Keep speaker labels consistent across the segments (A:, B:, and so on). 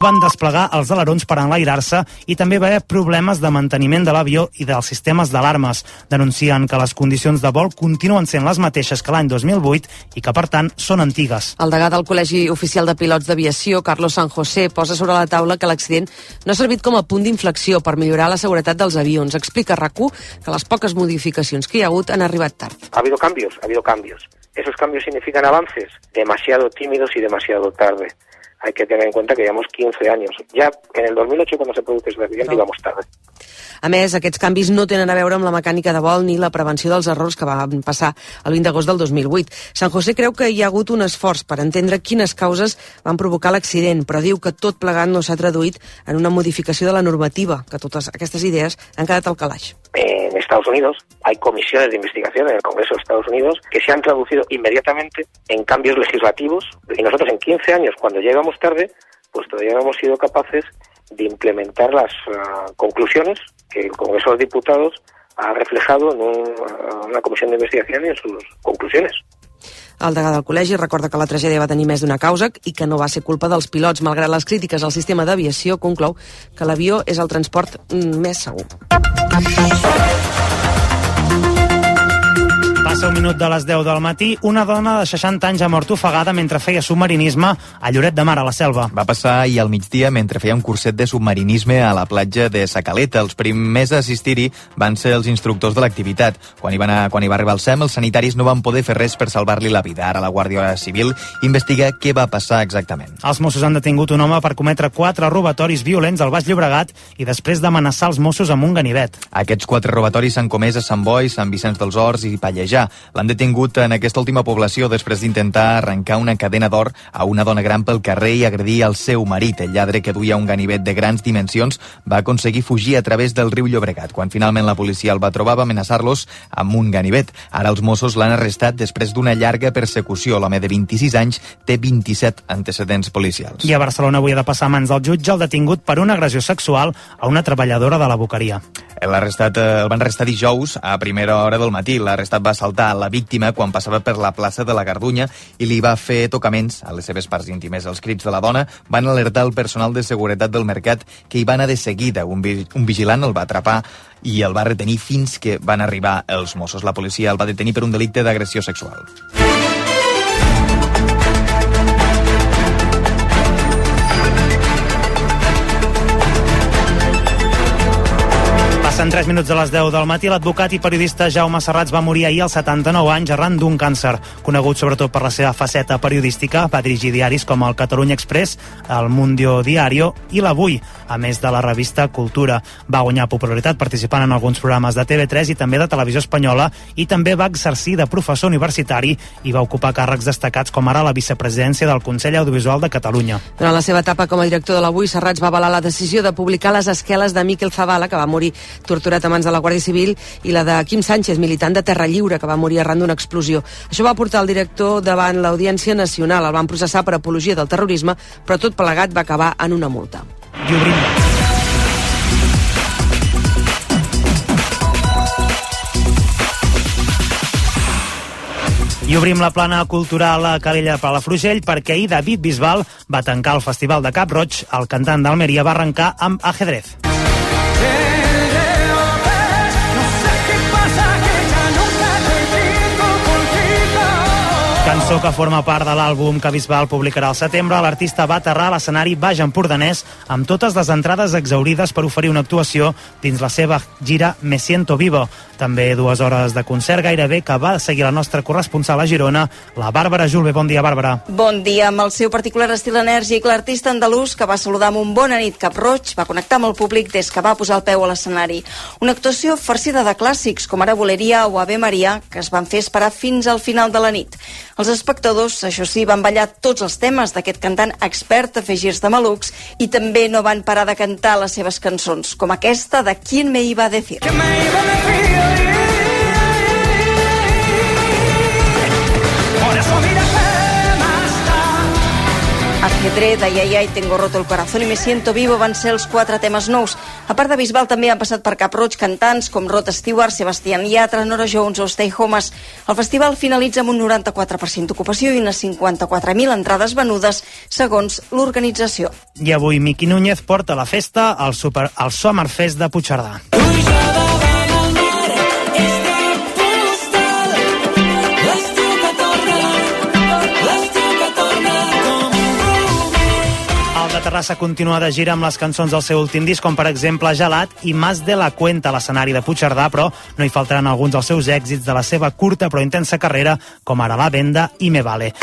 A: van desplegar els alerons per enlairar-se i també va haver problemes de manteniment de l'avió i dels sistemes d'alarmes. Denuncien que les condicions de vol continuen sent les mateixes que l'any 2008 i que, per tant, són antigues.
B: El degà del Col·legi Oficial de Pilots d'Aviació, Carlos San José, posa sobre la taula que l'accident no ha servit com a punt d'inflexió per millorar la seguretat dels avions. Explica a RAC1 que les poques modificacions que hi ha hagut han arribat tard.
C: Ha habido cambios. Esos cambios significan avances demasiado tímidos y demasiado tarde. Hay que tener en cuenta que llevamos 15 años. Ya en el 2008, cuando se produjo ese accidente, íbamos tarde.
B: A més, aquests canvis no tenen a veure amb la mecànica de vol ni la prevenció dels errors que van passar el 20 d'agost del 2008. San José creu que hi ha hagut un esforç per entendre quines causes van provocar l'accident, però diu que tot plegat no s'ha traduït en una modificació de la normativa, que totes aquestes idees han quedat al calaix.
C: En Estados Unidos hay comisiones de investigación en el Congreso de Estados Unidos que se han traducido inmediatamente en cambios legislativos y nosotros en 15 años, cuando llegamos tarde, pues todavía no hemos sido capaces de implementar las conclusiones que el Congreso de los Diputados ha reflejado en una comisión de investigación y en sus conclusiones.
B: El degà del col·legi recorda que la tragèdia va tenir més d'una causa i que no va ser culpa dels pilots. Malgrat les crítiques al sistema d'aviació, conclou que l'avió és el transport més segur.
A: Passa un minut de les 10 del matí. Una dona de 60 anys ha mort ofegada mentre feia submarinisme a Lloret de Mar, a la Selva.
D: Va passar ahir al migdia mentre feia un curset de submarinisme a la platja de Sa Caleta. Els primers a assistir-hi van ser els instructors de l'activitat. Quan hi va arribar el SEM, els sanitaris no van poder fer res per salvar-li la vida. Ara la Guàrdia Civil investiga què va passar exactament.
A: Els Mossos han detingut un home per cometre 4 robatoris violents al Baix Llobregat i després d'amenaçar els Mossos amb un ganivet.
D: Aquests 4 robatoris s'han comès a Sant Boi, Sant Vicenç dels Horts i Pallejà. L'han detingut en aquesta última població després d'intentar arrencar una cadena d'or a una dona gran pel carrer i agredir el seu marit. El lladre, que duia un ganivet de grans dimensions, va aconseguir fugir a través del riu Llobregat. Quan finalment la policia el va trobar, va amenaçar-los amb un ganivet. Ara els Mossos l'han arrestat després d'una llarga persecució. L'home de 26 anys té 27 antecedents policials.
A: I a Barcelona avui ha de passar a mans del jutge el detingut per una agressió sexual a una treballadora de la boqueria.
D: El van arrestar dijous a primera hora del matí. L'arrestat va assaltar la víctima quan passava per la plaça de la Gardunya i li va fer tocaments a les seves parts íntimes. Els crits de la dona van alertar el personal de seguretat del mercat, que hi va anar de seguida. Un vigilant el va atrapar i el va retenir fins que van arribar els Mossos. La policia el va detenir per un delicte d'agressió sexual.
A: Passen 3 minuts de les 10 del matí. L'advocat i periodista Jaume Serrats va morir ahir als 79 anys arran d'un càncer. Conegut sobretot per la seva faceta periodística, va dirigir diaris com el Catalunya Express, el Mundio Diario i l'Avui, a més de la revista Cultura. Va guanyar popularitat participant en alguns programes de TV3 i també de Televisió Espanyola, i també va exercir de professor universitari i va ocupar càrrecs destacats com ara la vicepresidència del Consell Audiovisual de Catalunya.
B: Durant la seva etapa com a director de l'Avui, Serrats va avalar la decisió de publicar les esqueles de Miquel Zavala, que va morir torturat a mans de la Guàrdia Civil, i la de Quim Sánchez, militant de Terra Lliure, que va morir arran d'una explosió. Això va portar el director davant l'Audiència Nacional. El van processar per apologia del terrorisme, però tot plegat va acabar en una multa.
A: I obrim la plana cultural a Calella Palafrugell perquè ahir David Bisbal va tancar el Festival de Cap Roig. El cantant d'Almeria va arrencar amb Ajedrez. Cançó que forma part de l'àlbum que Bisbal publicarà al setembre. L'artista va aterrar a l'escenari baix empordanès amb totes les entrades exaurides per oferir una actuació dins la seva gira Me Siento Vivo. També 2 hores de concert gairebé que va seguir la nostra corresponsal a Girona, la Bàrbara Julve. Bon dia, Bàrbara.
E: Bon dia. Amb el seu particular estil enèrgic, l'artista andalús, que va saludar amb un bona nit Cap Roig, va connectar amb el públic des que va posar el peu a l'escenari. Una actuació farcida de clàssics com ara Boleria o Ave Maria, que es van fer esperar fins al final de la nit. Els espectadors, això sí, van ballar tots els temes d'aquest cantant expert a fer girs de malucs i també no van parar de cantar les seves cançons, com aquesta de ¿Quién me iba a decir? Ajedrez, Ay, ay, ay, Tengo roto el corazón i Me siento vivo van ser els 4 temes nous. A part de Bisbal també han passat per Cap Roig cantants com Rod Stewart, Sebastián Yatra, Nora Jones o Stay Homes. El festival finalitza amb un 94% d'ocupació i unes 54.000 entrades venudes, segons l'organització.
A: I avui Miqui Núñez porta la festa al Summerfest de Puigcerdà. De Terrassa continua de gira amb les cançons del seu últim disc, com per exemple Gelat i Más de la Cuenta a l'escenari de Puigcerdà, però no hi faltaran alguns dels seus èxits de la seva curta però intensa carrera, com ara La Venda i Me Vale.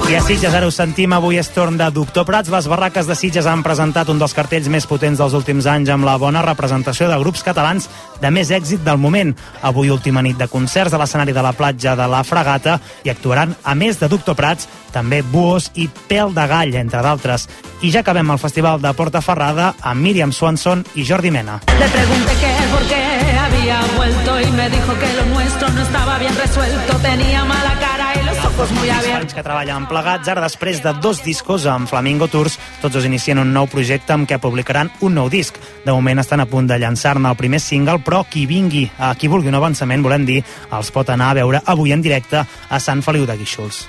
A: I a Sitges, ara ho sentim, avui és torn de Doctor Prats. Les barraques de Sitges han presentat un dels cartells més potents dels últims anys amb la bona representació de grups catalans de més èxit del moment. Avui última nit de concerts a l'escenari de la platja de la Fragata i actuaran, a més de Doctor Prats, també Buos i Pèl de Gall, entre d'altres. I ja acabem el festival de Portaferrada amb Míriam Swanson i Jordi Mena.
F: Le pregunté qué, por qué había vuelto y me dijo que lo nuestro no estaba bien resuelto, tenía mala cara y los ojos muy abiertos.
A: Que treballen plegats, ara després de 2 discos amb Flamingo Tours, tots dos inicien un nou projecte amb què publicaran un nou disc. De moment estan a punt de llançar-ne el primer single, però qui vulgui un avançament, volem dir, els pot anar a veure avui en directe a Sant Feliu de Guíxols.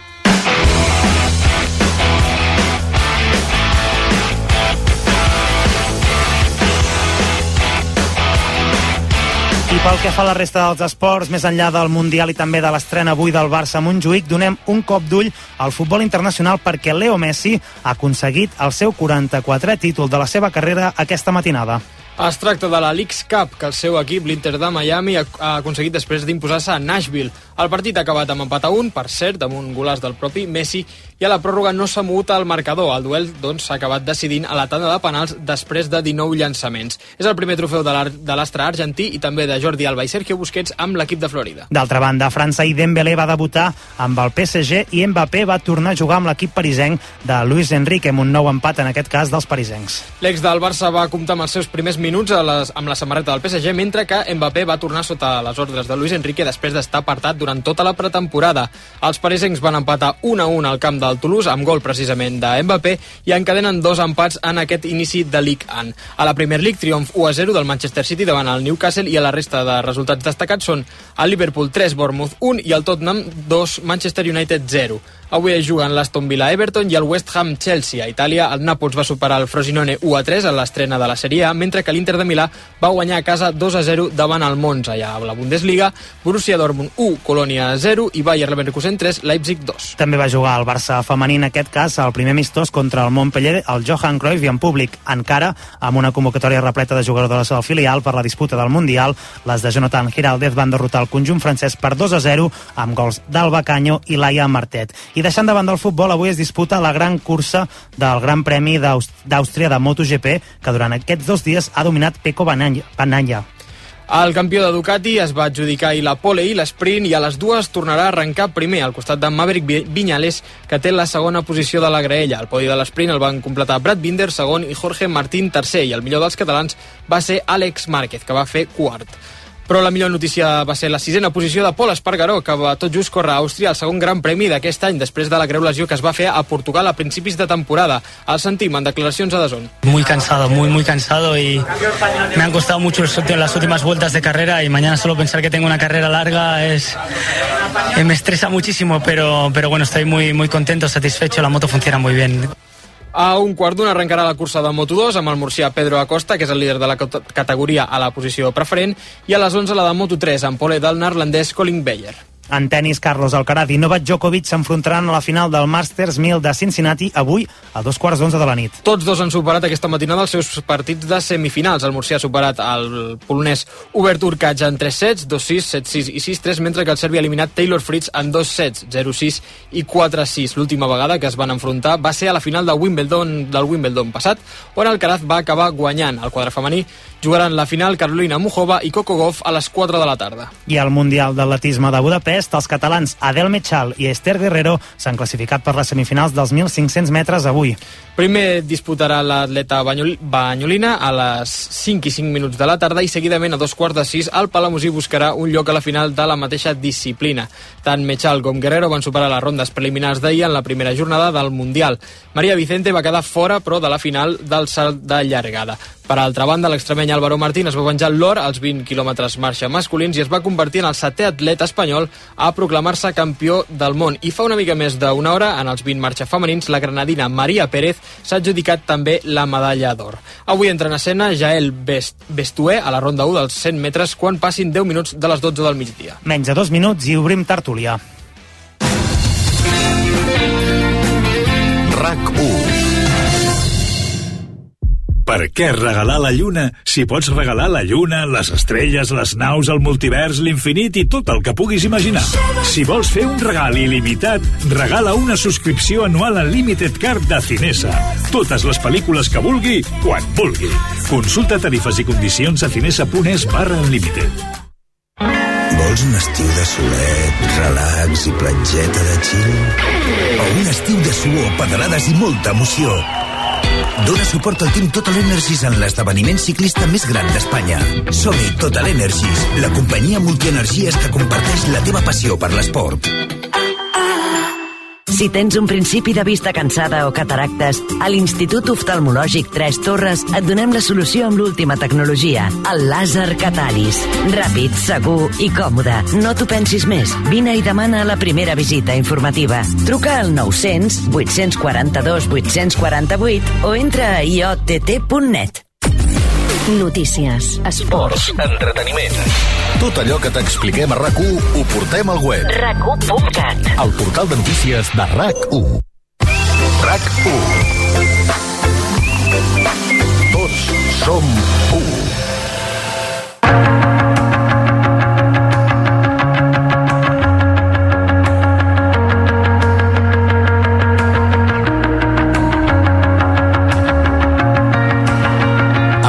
A: I pel que fa a la resta dels esports, més enllà del Mundial i també de l'estrena avui del Barça a Montjuïc, donem un cop d'ull al futbol internacional perquè Leo Messi ha aconseguit el seu 44è títol de la seva carrera aquesta matinada.
G: Es tracta de la Leagues Cup, que el seu equip, l'Inter de Miami, ha aconseguit després d'imposar-se a Nashville. El partit ha acabat amb empat a 1, per cert, amb un golaç del propi Messi, i a la pròrroga no s'ha mogut el marcador. El duel doncs, s'ha acabat decidint a la tanda de penals després de 19 llançaments. És el primer trofeu de l'astre argentí i també de Jordi Alba i Sergio Busquets amb l'equip de Florida.
A: D'altra banda, a França, i Dembélé va debutar amb el PSG i Mbappé va tornar a jugar amb l'equip parisenc de Luis Enrique, amb un nou empat, en aquest cas, dels parisencs.
G: L'ex del Barça va comptar amb els seus primers minuts amb la samarreta del PSG, mentre que Mbappé va tornar sota les ordres de Luis Enrique després d'estar apartat durant tota la pretemporada. Els parisencs van empatar 1-1 al camp del Toulouse, amb gol precisament de Mbappé, i encadenen 2 empats en aquest inici de Ligue 1. A la Premier League, triomf 1-0 del Manchester City davant el Newcastle, i a la resta de resultats destacats són el Liverpool 3, Bournemouth 1 i el Tottenham 2, Manchester United 0. Avui es juguen l'Aston Villa Everton i el West Ham Chelsea. A Itàlia, el Nàpols va superar el Frosinone 1-3 a l'estrena de la Serie A, mentre que l'Inter de Milà va guanyar a casa 2-0 davant el Monza. Ja a la Bundesliga, Borussia Dortmund 1, Colònia 0 i Bayer Leverkusen 3, Leipzig 2.
A: També va jugar el Barça femení, en aquest cas, el primer amistós contra el Montpellier, el Johan Cruyff, i en públic, encara amb una convocatòria repleta de jugadores del filial per la disputa del Mundial. Les de Jonathan Giraldez van derrotar el conjunt francès per 2-0 amb gols d'Alba Canyo i Laia Martet. I deixant de banda el futbol, avui es disputa la gran cursa del Gran Premi d'Àustria de MotoGP, que durant aquests 2 dies ha dominat Pecco Bagnaia.
G: El campió de Ducati es va adjudicar i la pole i l'esprint, i a les dues tornarà a arrencar primer al costat de Maverick Viñales, que té la segona posició de la graella. El podi de l'esprint el van completar Brad Binder, segon, i Jorge Martín, tercer, i el millor dels catalans va ser Àlex Márquez, que va fer quart. Però la millor notícia va ser la 6a posició de Pol Espargaró, que va tot just córrer a Àustria el segon Gran Premi d'aquest any, després de la greu lesió que es va fer a Portugal a principis de temporada. El sentim en declaracions a DAZN.
H: Muy cansado, muy cansado, y me han costado mucho las últimas vueltas de carrera, y mañana solo pensar que tengo una carrera larga me estresa muchísimo, pero bueno, estoy muy contento, satisfecho, la moto funciona muy bien.
G: A 1:15 arrencarà la cursa de Moto2 amb el murcià Pedro Acosta, que és el líder de la categoria, a la posició preferent, i a les 11 la de Moto3 amb pole del neerlandès Colin Beyer.
A: En tenis, Carlos Alcaraz i Novak Djokovic s'enfrontaran a la final del Masters 1000 de Cincinnati avui a 11:15 de la nit.
G: Tots dos han superat aquesta matinada els seus partits de semifinals. El murcià ha superat el polonès Hubert Hurkacz en 3 sets, 2-6, 7-6 i 6-3, mentre que el serbi ha eliminat Taylor Fritz en 2 sets, 0-6 i 4-6. L'última vegada que es van enfrontar va ser a la final del Wimbledon passat, on Alcaraz va acabar guanyant. El quadre femení Jugaran la final Carolina Muchova i Coco Gauff a les 4 de la tarda.
A: I al Mundial d'Atletisme de Budapest, els catalans Adel Mechal i Esther Guerrero s'han classificat per les semifinals dels 1.500 metres avui.
G: Primer disputarà l'atleta banyolina a les 5 i 5 minuts de la tarda i seguidament a 5:15 el palamosí buscarà un lloc a la final de la mateixa disciplina. Tant Mechal com Guerrero van superar les rondes preliminars d'ahir en la primera jornada del Mundial. Maria Vicente va quedar fora, però, de la final del salt de llargada. Per altra banda, l'extremeny Álvaro Martín es va venjar l'or als 20 quilòmetres marxa masculins i es va convertir en el 7è atleta espanyol a proclamar-se campió del món. I fa una mica més d'una hora, en els 20 marxa femenins, la granadina Maria Pérez s'ha adjudicat també la medalla d'or. Avui entra en escena Jael Bestué a la ronda 1 dels 100 metres quan passin 10 minuts de les 12 del migdia.
A: Menys de 2 minuts i obrim tertúlia.
I: RAC1. Per què regalar la lluna si pots regalar la lluna, les estrelles, les naus, el multivers, l'infinit i tot el que puguis imaginar? Si vols fer un regal il·limitat, regala una subscripció anual en Limited Card de Cinesa. Totes les pel·lícules que vulgui, quan vulgui. Consulta tarifes i condicions a cinesa.es/unlimited.
J: Vols un estiu de solet, relax i platgeta de chill? O un estiu de suor, pedalades i molta emoció? Dóna suport al Team Total Energies en l'esdeveniment ciclista més gran d'Espanya. Som-hi, Total Energies, la companyia multienergies que comparteix la teva passió per l'esport.
K: Si tens un principi de vista cansada o cataractes, a l'Institut Oftalmològic 3 Torres et donem la solució amb l'última tecnologia, el làser Catalis. Ràpid, segur i còmode. No t'ho pensis més. Vine i demana la primera visita informativa. Truca al 900 842 848 o entra a iott.net. Notícies, esports,
I: entreteniment. Tot allò que t'expliquem a RAC1 ho portem al web.
K: RAC1.cat,
I: el portal de notícies de RAC1. RAC1. Tots som u.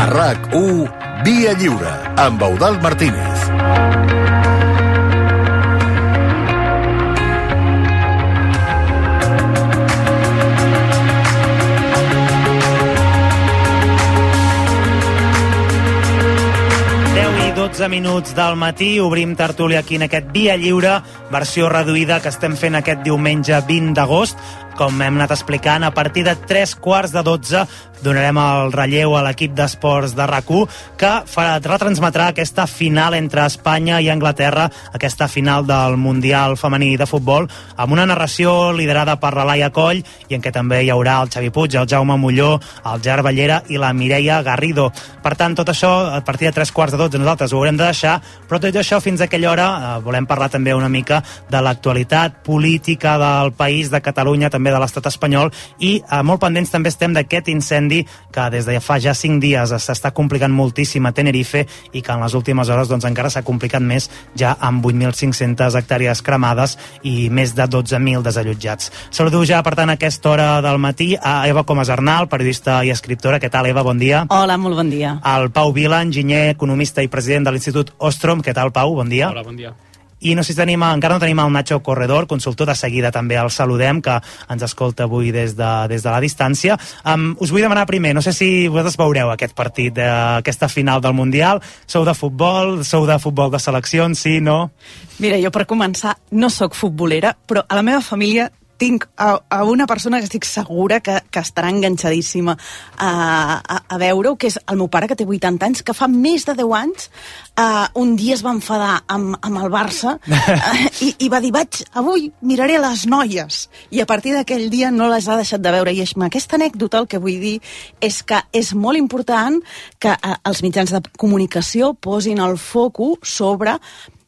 I: RAC1 Via Lliure, amb Eudald Martínez.
A: I 12 minuts del matí, obrim tertúlia aquí en aquest Via Lliure, versió reduïda que estem fent aquest diumenge 20 d'agost. Com hem anat explicant, a partir de 3:15 donarem el relleu a l'equip d'esports de RAC1 que retransmetrà aquesta final entre Espanya i Anglaterra, aquesta final del Mundial femení de futbol, amb una narració liderada per la Laia Coll i en què també hi haurà el Xavi Puig, el Jaume Molló, el Gerard Ballera i la Mireia Garrido. Per tant, tot això, a partir de 3:15 nosaltres ho haurem de deixar, però tot això fins a aquella hora volem parlar també una mica de l'actualitat política del país, de Catalunya, també de l'estat espanyol, i molt pendents també estem d'aquest incendi que des de fa ja 5 dies s'està complicant moltíssim a Tenerife i que en les últimes hores doncs, encara s'ha complicat més, ja amb 8.500 hectàrees cremades i més de 12.000 desallotjats. Saludo ja, per tant, a aquesta hora del matí a Eva Comas Arnal, periodista i escriptora. Què tal, Eva? Bon dia.
L: Hola, molt bon dia.
A: El Pau Vila, enginyer, economista i president de l'Institut Ostrom. Què tal, Pau? Bon dia.
G: Hola, bon dia.
A: I no sé si encara no tenim el Nacho Corredor, consultor, de seguida també el saludem, que ens escolta avui des de la distància. Us vull demanar primer, no sé si vosaltres veureu aquest partit, aquesta final del Mundial. Sou de futbol de seleccions, sí, no?
L: Mira, jo per començar no sóc futbolera, però a la meva família tinc a una persona que estic segura que estarà enganxadíssima a veure-ho, que és el meu pare, que té 80 anys, que fa més de 10 anys un dia es va enfadar amb el Barça i va dir, avui miraré les noies, i a partir d'aquell dia no les ha deixat de veure. I amb aquesta anècdota el que vull dir és que és molt important que els mitjans de comunicació posin el focus sobre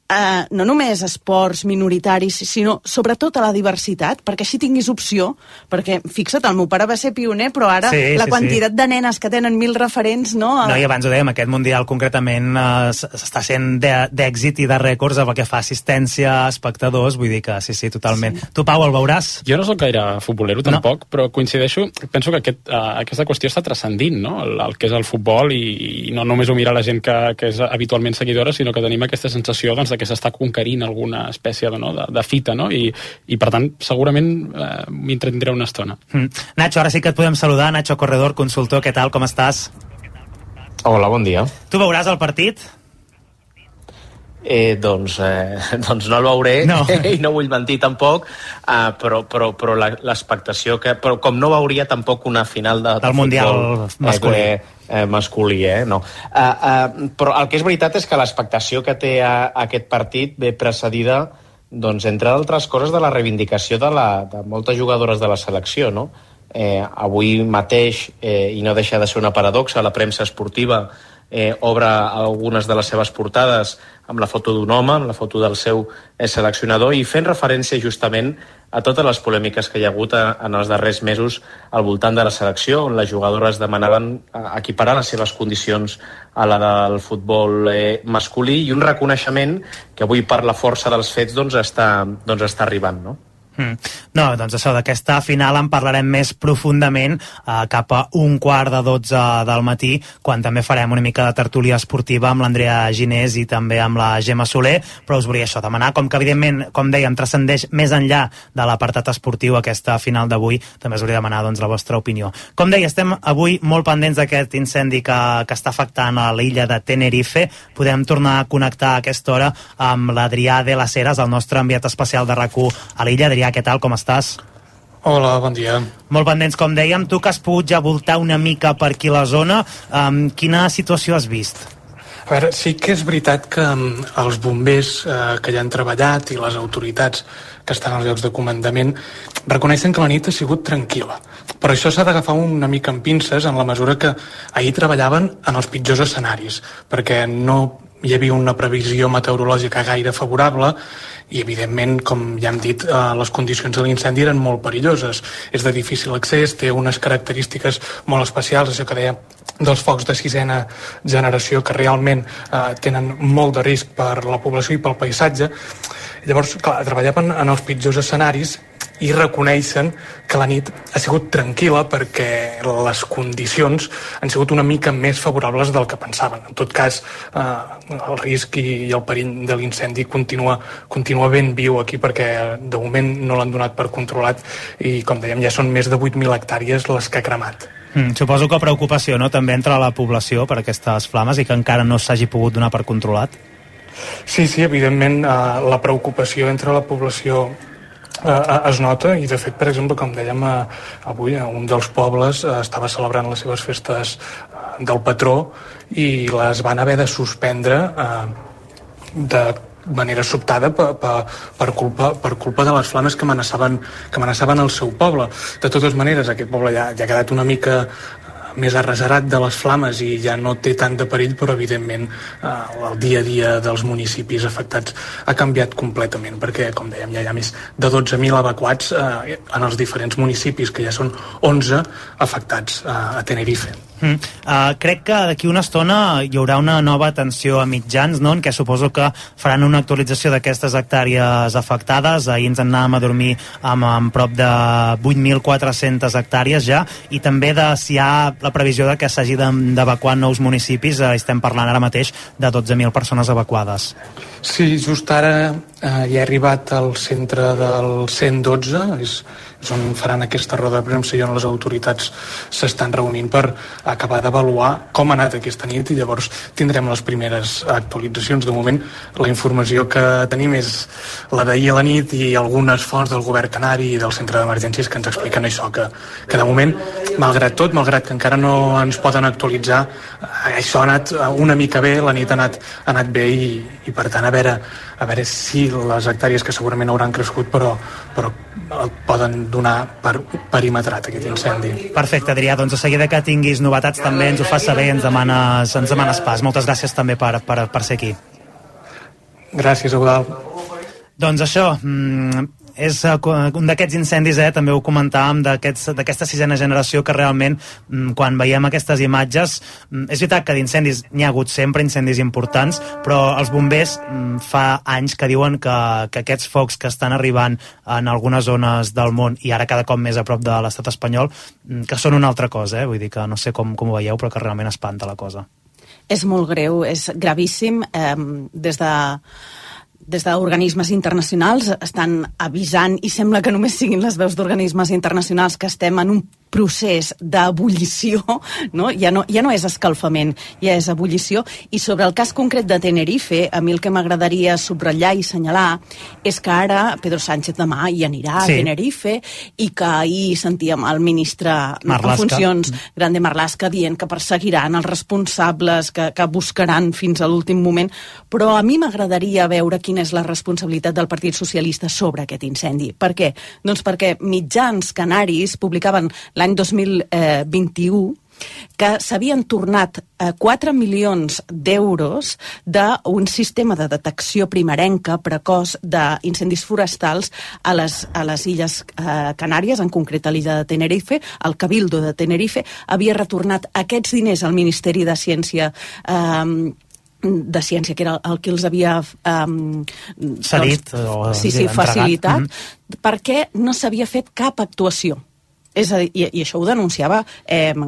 L: no només esports minoritaris, sinó sobretot a la diversitat, perquè així tinguis opció, perquè fixa't, el meu pare va ser pioner, però ara la quantitat de nenes que tenen 1000 referents, no?
A: No, i abans ho dèiem, aquest Mundial concretament està sent d'èxit i de rècords pel que fa assistència, espectadors, vull dir que sí, totalment. Tu, Pau, el veuràs?
M: Jo no soc gaire futbolero, tampoc, però coincideixo, penso que aquesta qüestió està transcendint, no? El que és el futbol, i no només ho mira la gent que és habitualment seguidora, sinó que tenim aquesta sensació que s'està conquerint alguna espècie de fita, no? I per tant, segurament m'hi entretindré una estona.
A: Nacho, ara sí que et podem saludar. Nacho Corredor, consultor, què tal, com estàs?
N: Hola, bon dia.
A: Tu veuràs el partit?
N: Doncs no el veuré, i no vull mentir tampoc, però l'expectació però com no veuria tampoc una final del
A: Mundial
N: masculí, no. Però el que és veritat és que l'expectació que té aquest partit ve precedida, doncs, entre altres coses, de la reivindicació de moltes jugadores de la selecció, no? Avui mateix, i no deixa de ser una paradoxa, la premsa esportiva obre algunes de les seves portades amb la foto d'un home, amb la foto del seu seleccionador, i fent referència justament a totes les polèmiques que hi ha hagut en els darrers mesos al voltant de la selecció, on les jugadores demanaven equiparar les seves condicions a la del futbol masculí, i un reconeixement que avui, per la força dels fets, està arribant, no?
A: No, doncs això, d'aquesta final en parlarem més profundament cap a 11:45 del matí, quan també farem una mica de tertúlia esportiva amb l'Andrea Ginés i també amb la Gemma Soler, però us volia això demanar, com que evidentment, com dèiem, transcendeix més enllà de l'apartat esportiu aquesta final d'avui, també us volia demanar doncs la vostra opinió. Com deia, estem avui molt pendents d'aquest incendi que està afectant a l'illa de Tenerife. Podem tornar a connectar a aquesta hora amb l'Adrià de las Heras, el nostre enviat especial de RAC1 a l'illa. Adrià, què tal, com estàs?
O: Hola, bon dia.
A: Molt pendents, com dèiem. Tu que has pogut ja voltar una mica per aquí la zona, quina situació has vist?
O: A veure, sí que és veritat que els bombers que hi han treballat i les autoritats que estan als llocs de comandament reconeixen que la nit ha sigut tranquil·la. Però això s'ha d'agafar una mica amb pinces en la mesura que ahir treballaven en els pitjors escenaris, perquè no hi havia una previsió meteorològica gaire favorable i, evidentment, com ja hem dit, les condicions de l'incendi eren molt perilloses. És de difícil accés, té unes característiques molt especials, això que deia dels focs de 6ª generació, que realment tenen molt de risc per la població i pel paisatge. Llavors, clar, treballaven en els pitjors escenaris i reconeixen que la nit ha sigut tranquil·la perquè les condicions han sigut una mica més favorables del que pensaven. En tot cas, el risc i el perill de l'incendi continua ben viu aquí, perquè de moment no l'han donat per controlat i, com dèiem, ja són més de 8.000 hectàrees les que ha cremat.
A: Suposo que preocupació, no?, també entre la població per aquestes flames i que encara no s'hagi pogut donar per controlat.
O: Sí, evidentment, la preocupació entre la població es nota, i de fet, per exemple, com dèiem avui, un dels pobles estava celebrant les seves festes del patró i les van haver de suspendre de manera sobtada per culpa de les flames que amenaçaven el seu poble. De totes maneres, aquest poble ja ha quedat una mica més arraserat de les flames i ja no té tant de perill, però evidentment el dia a dia dels municipis afectats ha canviat completament, perquè, com dèiem, ja hi ha més de 12.000 evacuats en els diferents municipis, que ja són 11 afectats a Tenerife.
A: Crec que d'aquí una estona hi haurà una nova atenció a mitjans, no?, en què suposo que faran una actualització d'aquestes hectàrees afectades. Ahir ens anàvem a dormir amb prop de 8.400 hectàrees ja, i també de si hi ha la previsió de que s'hagi d'evacuar nous municipis. Estem parlant ara mateix de 12.000 persones evacuades.
O: Sí, just ara hi ha arribat al centre del 112, és on faran aquesta roda de premsa i on les autoritats s'estan reunint per acabar d'avaluar com ha anat aquesta nit, i llavors tindrem les primeres actualitzacions. De moment, la informació que tenim és la d'ahir a la nit i algunes fonts del govern canari i del centre d'emergències que ens expliquen això, que de moment, malgrat tot, malgrat que encara no ens poden actualitzar, això ha anat una mica bé, la nit ha anat bé, i per tant a veure si les hectàrees, que segurament hauran crescut, però el poden donar per perimetrat, aquest incendi.
A: Perfecte, Adrià, doncs a seguida que tinguis novetats també ens ho fas saber i ens demanes pas. Moltes gràcies també per ser aquí.
O: Gràcies, Eudald.
A: Doncs això, és un d'aquests incendis, també ho comentàvem, d'aquesta sisena generació que realment, quan veiem aquestes imatges, és veritat que d'incendis n'hi ha hagut sempre, incendis importants, però els bombers fa anys que diuen que aquests focs que estan arribant en algunes zones del món i ara cada cop més a prop de l'estat espanyol, que són una altra cosa, vull dir que no sé com ho veieu, però que realment espanta la cosa.
L: És molt greu, és gravíssim. Des d'organismes internacionals estan avisant, i sembla que només siguin les veus d'organismes internacionals, que estem en un procés d'ebullició, no? Ja no és escalfament, ja és ebullició. I sobre el cas concret de Tenerife, a mi el que m'agradaria subratllar i assenyalar és que ara Pedro Sánchez demà hi anirà a Tenerife, i que ahir sentíem el ministre en funcions, Grande Marlaska, dient que perseguiran els responsables, que buscaran fins a l'últim moment, però a mi m'agradaria veure quina és la responsabilitat del Partit Socialista sobre aquest incendi. Per què? Doncs perquè mitjans canaris publicaven l'any 2021 que s'havien tornat 4 milions d'euros d'un sistema de detecció primerenca precoç d'incendis forestals a les Illes Canàries, en concret a l'illa de Tenerife. El Cabildo de Tenerife havia retornat aquests diners al Ministeri de Ciència, que era el que els havia facilitat, perquè no s'havia fet cap actuació. És a dir, i això ho denunciava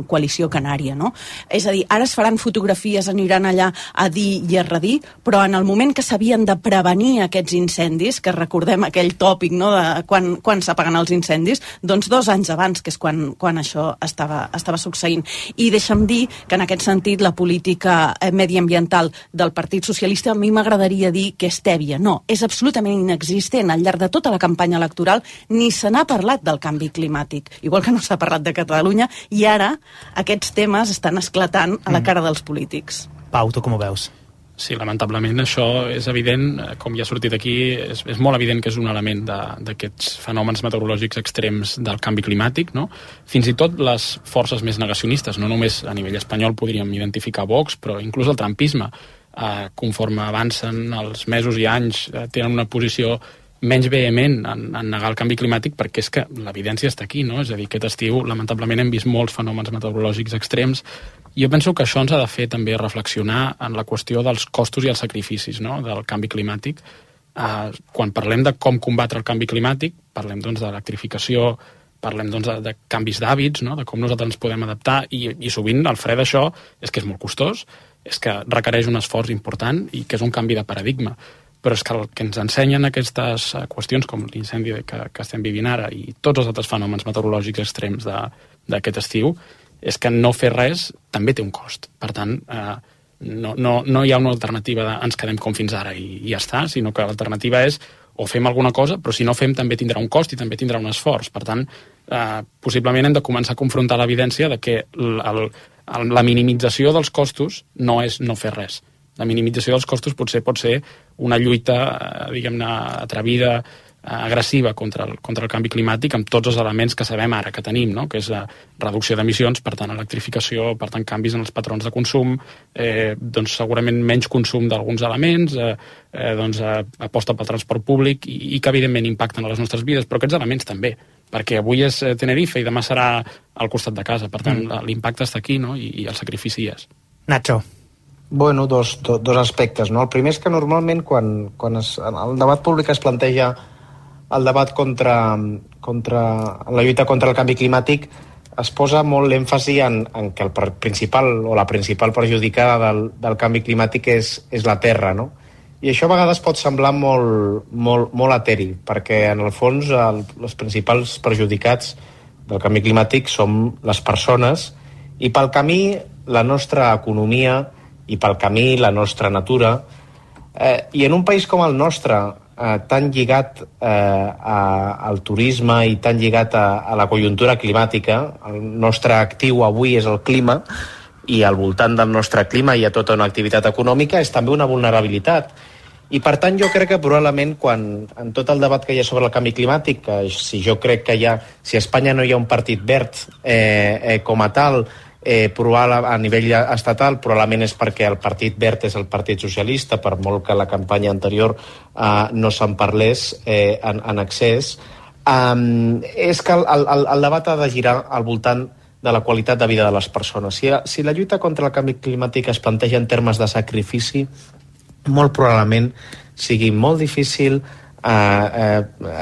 L: Coalició Canària, no? És a dir, ara es faran fotografies, aniran allà a dir i a redir, però en el moment que s'havien de prevenir aquests incendis, que recordem aquell tòpic, no?, de quan s'apaguen els incendis, doncs 2 anys abans, que és quan això estava succeint. I deixa'm dir que en aquest sentit la política mediambiental del Partit Socialista a mi m'agradaria dir que és tèbia. No, és absolutament inexistent. Al llarg de tota la campanya electoral ni se n'ha parlat del canvi climàtic, igual que no s'ha parlat de Catalunya, i ara aquests temes estan esclatant a la cara dels polítics.
A: Pau, tu com ho veus?
M: Sí, lamentablement això és evident, com ja ha sortit aquí, és molt evident que és un element d'aquests fenòmens meteorològics extrems del canvi climàtic, no? Fins i tot les forces més negacionistes, no només a nivell espanyol podríem identificar Vox, però inclús el trumpisme, conforme avancen els mesos i anys, tenen una posició menys vehement en negar el canvi climàtic, perquè és que l'evidència està aquí, no? És a dir, aquest estiu, lamentablement, hem vist molts fenòmens meteorològics extrems. Jo penso que això ens ha de fer també reflexionar en la qüestió dels costos i els sacrificis, no?, del canvi climàtic. Quan parlem de com combatre el canvi climàtic, parlem doncs d'electrificació, parlem doncs de canvis d'hàbits, no?, de com nosaltres ens podem adaptar, i sovint el fre d'això és que és molt costós, és que requereix un esforç important i que és un canvi de paradigma. Però és que el que ens ensenyen aquestes qüestions, com l'incendi que estem vivint ara i tots els altres fenòmens meteorològics extrems d'aquest estiu, és que no fer res també té un cost. Per tant, no hi ha una alternativa de ens quedem com fins ara i ja està, sinó que l'alternativa és o fem alguna cosa, però si no fem també tindrà un cost i també tindrà un esforç. Per tant, possiblement hem de començar a confrontar l'evidència de que la minimització dels costos no és no fer res. La minimització dels costos potser pot ser una lluita, diguem-ne, atrevida, agressiva contra el canvi climàtic amb tots els elements que sabem ara que tenim, no?, que és reducció d'emissions, per tant electrificació, per tant canvis en els patrons de consum, doncs segurament menys consum d'alguns elements, doncs aposta pel transport públic i que evidentment impacten a les nostres vides, però aquests elements també, perquè avui és Tenerife i demà serà al costat de casa, per tant l'impacte està aquí, no?, i el sacrifici és.
A: Nacho.
N: Bueno, dos aspectes, no? El primer és que normalment quan el debat públic es planteja el debat contra la lluita contra el canvi climàtic, es posa molt l'èmfasi en que la principal perjudicada del canvi climàtic és la Terra, no? I això a vegades pot semblar molt eteri, perquè en el fons els principals perjudicats del canvi climàtic som les persones, i pel camí la nostra economia, i pel camí la nostra natura, i en un país com el nostre, tan lligat al turisme i tan lligat a la conjuntura climàtica, el nostre actiu avui és el clima, i al voltant del nostre clima hi ha tota una activitat econòmica, és també una vulnerabilitat. I per tant jo crec que probablement en tot el debat que hi ha sobre el canvi climàtic, si a Espanya no hi ha un partit verd com a tal, a nivell estatal probablement és perquè el Partit Verd és el Partit Socialista, per molt que la campanya anterior no se'n parlés en excés. És que el debat ha de girar al voltant de la qualitat de vida de les persones. Si la lluita contra el canvi climàtic es planteja en termes de sacrifici, molt probablement sigui molt difícil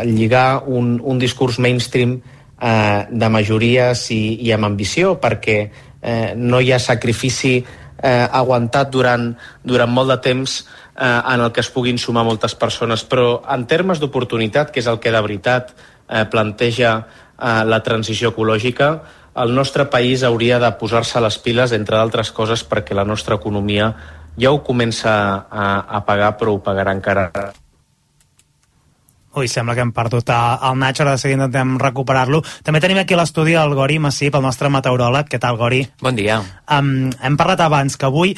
N: lligar un discurs mainstream de majories i amb ambició, perquè no hi ha sacrifici aguantat durant molt de temps en el que es puguin sumar moltes persones. Però en termes d'oportunitat, que és el que de veritat planteja la transició ecològica, el nostre país hauria de posar-se les piles, entre d'altres coses, perquè la nostra economia ja ho comença a pagar, però ho pagarà encara.
A: Ui, sembla que hem perdut el Nacho, ara de seguida intentem recuperar-lo. També tenim aquí a l'estudi el Gori Massip, el nostre meteoròleg. Què tal, Gori?
P: Bon dia.
A: Hem parlat abans que avui,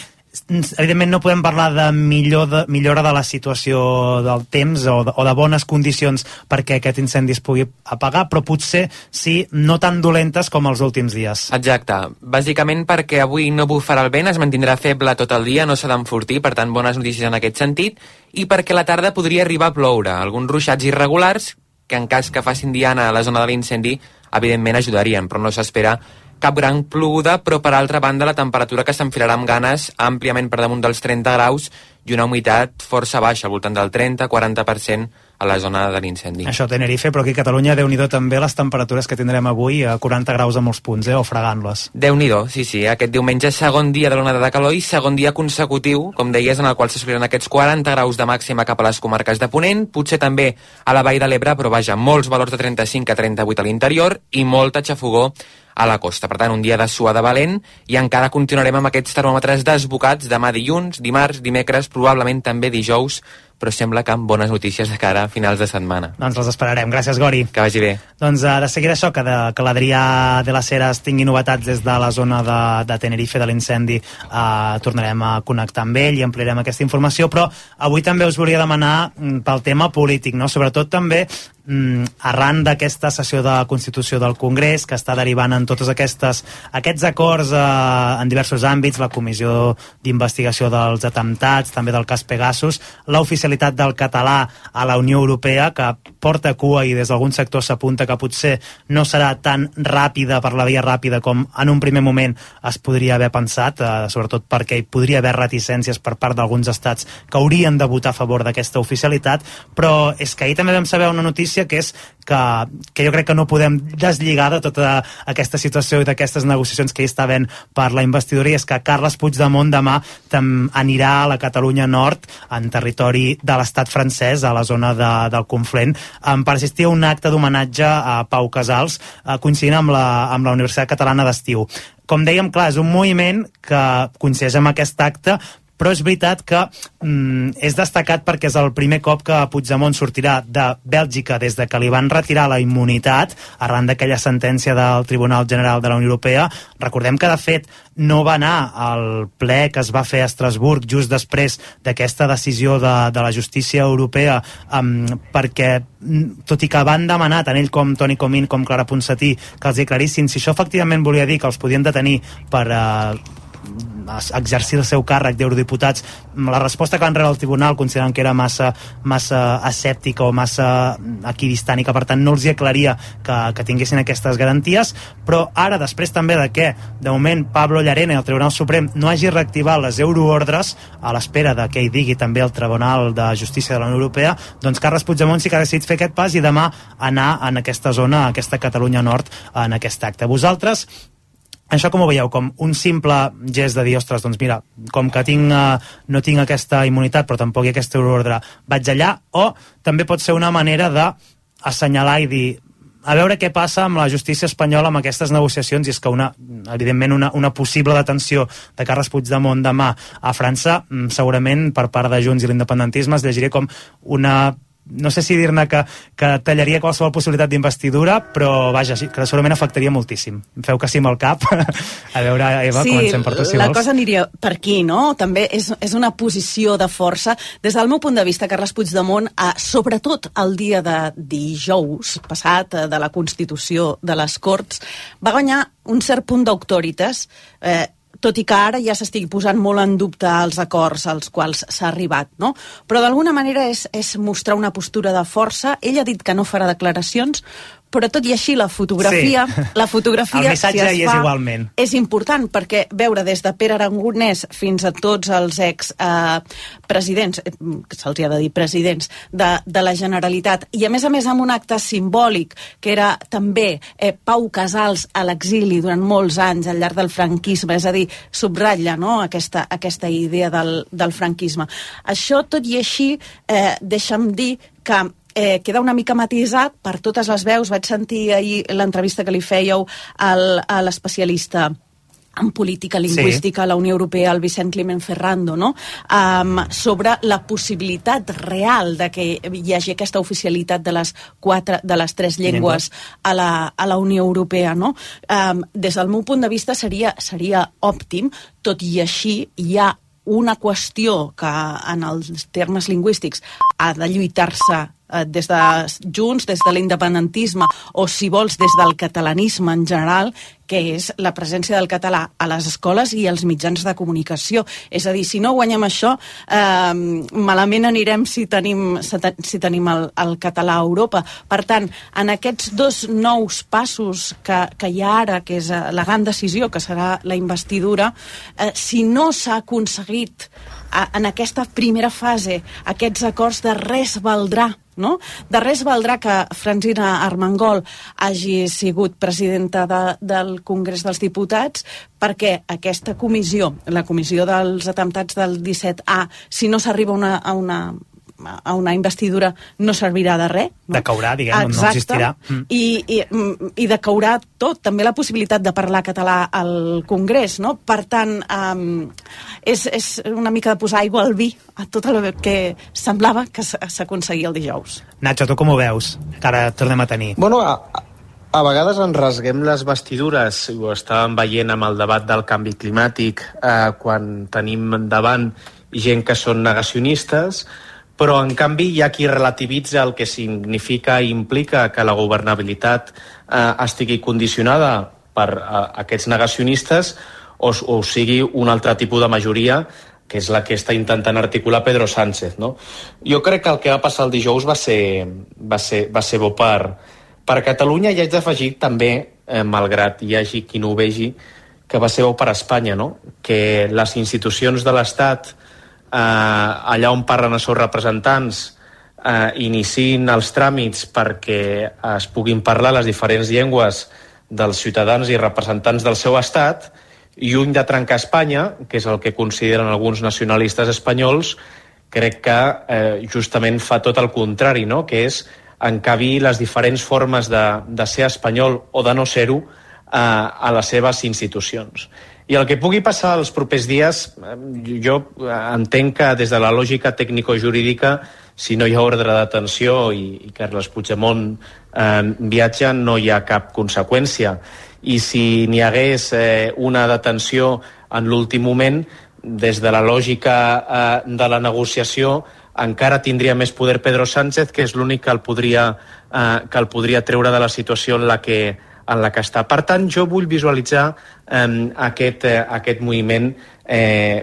A: evidentment no podem parlar de millora de la situació del temps o de bones condicions perquè aquest incendi es pugui apagar, però potser sí, no tan dolentes com els últims dies.
P: Exacte. Bàsicament perquè avui no bufarà el vent, es mantindrà feble tot el dia, no s'ha d'enfortir, per tant bones notícies en aquest sentit, i perquè a la tarda podria arribar a ploure, alguns ruixats irregulars que en cas que facin diana a la zona de l'incendi evidentment ajudarien, però no s'espera cap gran ploguda, però per altra banda la temperatura que s'enfilarà amb ganes àmpliament per damunt dels 30 graus i una humitat força baixa, al voltant del 30-40% a la zona de l'incendi.
A: Això a Tenerife, però aquí a Catalunya, Déu-n'hi-do també les temperatures que tindrem avui, a 40 graus a molts punts, o fregant-les.
P: Déu-n'hi-do, sí. Aquest diumenge segon dia de l'onada de calor i segon dia consecutiu, com deies, en el qual s'assoliran aquests 40 graus de màxima cap a les comarques de Ponent, potser també a la Vall de l'Ebre, però vaja, molts valors de 35 a 38 a l'interior i molta xafogor a la costa. Per tant, un dia de suada valent i encara continuarem amb aquests termòmetres desbocats demà dilluns, dimarts, dimecres, probablement també dijous, però sembla que amb bones notícies de cara a finals de setmana.
A: Doncs les esperarem. Gràcies, Gori.
P: Que vagi bé.
A: Doncs de seguida això, que l'Adrià de les Heres tingui novetats des de la zona de Tenerife, de l'incendi, tornarem a connectar amb ell i ampliarem aquesta informació, però avui també us volia demanar pel tema polític, no? Sobretot també arran d'aquesta sessió de Constitució del Congrés que està derivant en tots aquests acords en diversos àmbits, la comissió d'investigació dels atemptats, també del cas Pegasus, l'oficialitat del català a la Unió Europea, que porta cua i des d'algun sector s'apunta que potser no serà tan ràpida per la via ràpida com en un primer moment es podria haver pensat, sobretot perquè hi podria haver reticències per part d'alguns estats que haurien de votar a favor d'aquesta oficialitat, però és que ahir també vam saber una notícia que és que jo crec que no podem deslligar de tota aquesta situació i d'aquestes negociacions que hi està havent per la investidura, i és que Carles Puigdemont demà anirà a la Catalunya Nord, en territori de l'estat francès, a la zona del Conflent, per assistir a un acte d'homenatge a Pau Casals, coincidint amb la Universitat Catalana d'Estiu. Com dèiem, clar, és un moviment que coincideix amb aquest acte, però és veritat que és destacat perquè és el primer cop que Puigdemont sortirà de Bèlgica des de que li van retirar la immunitat arran d'aquella sentència del Tribunal General de la Unió Europea. Recordem que, de fet, no va anar al ple que es va fer a Estrasburg just després d'aquesta decisió de la justícia europea, perquè, tot i que van demanar tant ell com Toni Comín com Clara Ponsatí que els aclarissin si això efectivament volia dir que els podien detenir per exercir el seu càrrec d'eurodiputats, la resposta que van rebre al tribunal considerant que era massa escèptica o massa equidistant i que per tant no els hi aclaria que tinguessin aquestes garanties. Però ara, després també de que de moment Pablo Llarena i el Tribunal Suprem no hagi reactivat les euroordres a l'espera de que hi digui també el Tribunal de Justícia de la Unió Europea, doncs Carles Puigdemont sí que ha decidit fer aquest pas i demà anar en aquesta zona, a aquesta Catalunya Nord, en aquest acte. Vosaltres això com ho veieu? Com un simple gest de dir, ostres, doncs mira, com que no tinc aquesta immunitat però tampoc hi ha aquesta euroordre, vaig allà, o també pot ser una manera d'assenyalar i dir, a veure què passa amb la justícia espanyola amb aquestes negociacions, i és que evidentment una possible detenció de Carles Puigdemont demà a França, segurament per part de Junts i l'independentisme es llegiria com una no sé si dir-ne que tallaria qualsevol possibilitat d'investidura, però vaja, sí, que segurament afectaria moltíssim. Feu que sí amb el cap. A veure, Eva, comencem per tu, si vols.
L: Sí, la cosa aniria per aquí, no? També és una posició de força. Des del meu punt de vista, Carles Puigdemont, sobretot el dia de dijous passat, de la Constitució de les Corts, va guanyar un cert punt d'autoritas, tot i que ara ja s'estigui posant molt en dubte els acords als quals s'ha arribat, no? Però d'alguna manera és mostrar una postura de força. Ell ha dit que no farà declaracions, però tot i així la fotografia
A: el missatge
L: si es
A: hi és
L: fa,
A: igualment.
L: És important, perquè veure des de Pere Aragonès fins a tots els presidents, que se'ls ha de dir presidents, de la Generalitat, i a més amb un acte simbòlic, que era també Pau Casals a l'exili durant molts anys al llarg del franquisme, és a dir, subratlla, no?, aquesta idea del franquisme. Això, tot i així, deixa'm dir que queda una mica matisat per totes les veus. Vaig sentir ahir l'entrevista que li fèieu a l'especialista en política lingüística a la Unió Europea, el Vicent Climent Ferrando, no? Sobre la possibilitat real de que hi hagi aquesta oficialitat de les 3 llengües a la Unió Europea, no? Des del meu punt de vista seria òptim. Tot i així hi ha una qüestió que en els termes lingüístics ha de lluitar-se des de Junts, des de l'independentisme, o si vols des del catalanisme en general, que és la presència del català a les escoles i als mitjans de comunicació. És a dir, si no guanyem això, malament anirem si tenim el català a Europa. Per tant, en aquests 2 nous passos que hi ha ara, que és la gran decisió, que serà la investidura, si no s'ha aconseguit en aquesta primera fase aquests acords, de res valdrà, no? De res valdrà que Francina Armengol hagi sigut presidenta del Congrés dels Diputats, perquè aquesta comissió, la comissió dels atemptats del 17A, si no s'arriba a una investidura, no servirà de res. No?
A: Decaurà, diguem, no existirà.
L: I decaurà tot, també la possibilitat de parlar català al Congrés, no? Per tant, és una mica de posar aigua al vi a tot el que semblava que s'aconseguia el dijous.
A: Nacho, tu com ho veus? Que ara tornem a tenir.
N: Bueno, a vegades ens rasguem les vestidures, ho estàvem veient amb el debat del canvi climàtic, quan tenim davant gent que són negacionistes, però en canvi hi ha qui relativitza el que significa i implica que la governabilitat estigui condicionada per aquests negacionistes o sigui un altre tipus de majoria, que és la que està intentant articular Pedro Sánchez, no? Jo crec que el que va passar el dijous va ser bo per Catalunya, i haig d'afegir també, malgrat hi hagi qui no ho vegi, que va ser bo per Espanya, no? Que les institucions de l'Estat, allà on parlen els seus representants, iniciïn els tràmits perquè es puguin parlar les diferents llengües dels ciutadans i representants del seu estat, i lluny de trencar Espanya, que és el que consideren alguns nacionalistes espanyols, crec que justament fa tot el contrari, no? Que és encabir les diferents formes de ser espanyol o de no ser-ho a les seves institucions. I el que pugui passar els propers dies, jo entenc que des de la lògica tècnico-jurídica, si no hi ha ordre d'atenció i Carles Puigdemont viatja, no hi ha cap conseqüència. I si n'hi hagués una detenció en l'últim moment, des de la lògica de la negociació, encara tindria més poder Pedro Sánchez, que és l'únic que el podria treure de la situació en la que està. Per tant, jo vull visualitzar aquest moviment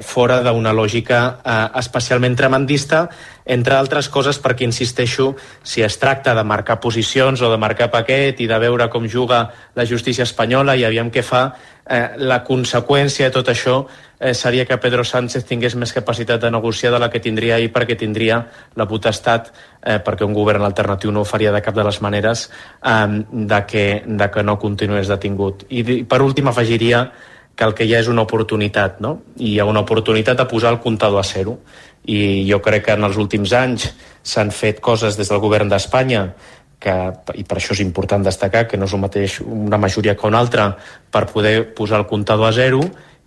N: fora d'una lògica especialment tremendista, entre altres coses perquè, insisteixo, si es tracta de marcar posicions o de marcar paquet i de veure com juga la justícia espanyola i aviam què fa, la conseqüència de tot això seria que Pedro Sánchez tingués més capacitat de negociar de la que tindria ahir, perquè tindria la potestat, perquè un govern alternatiu no ho faria de cap de les maneres, de que no continués detingut. I per últim afegiria que el que hi ha és una oportunitat, no? I hi ha una oportunitat de posar el comptador a zero. I jo crec que en els últims anys s'han fet coses des del govern d'Espanya i per això és important destacar que no és el mateix una majoria que una altra per poder posar el comptador a zero,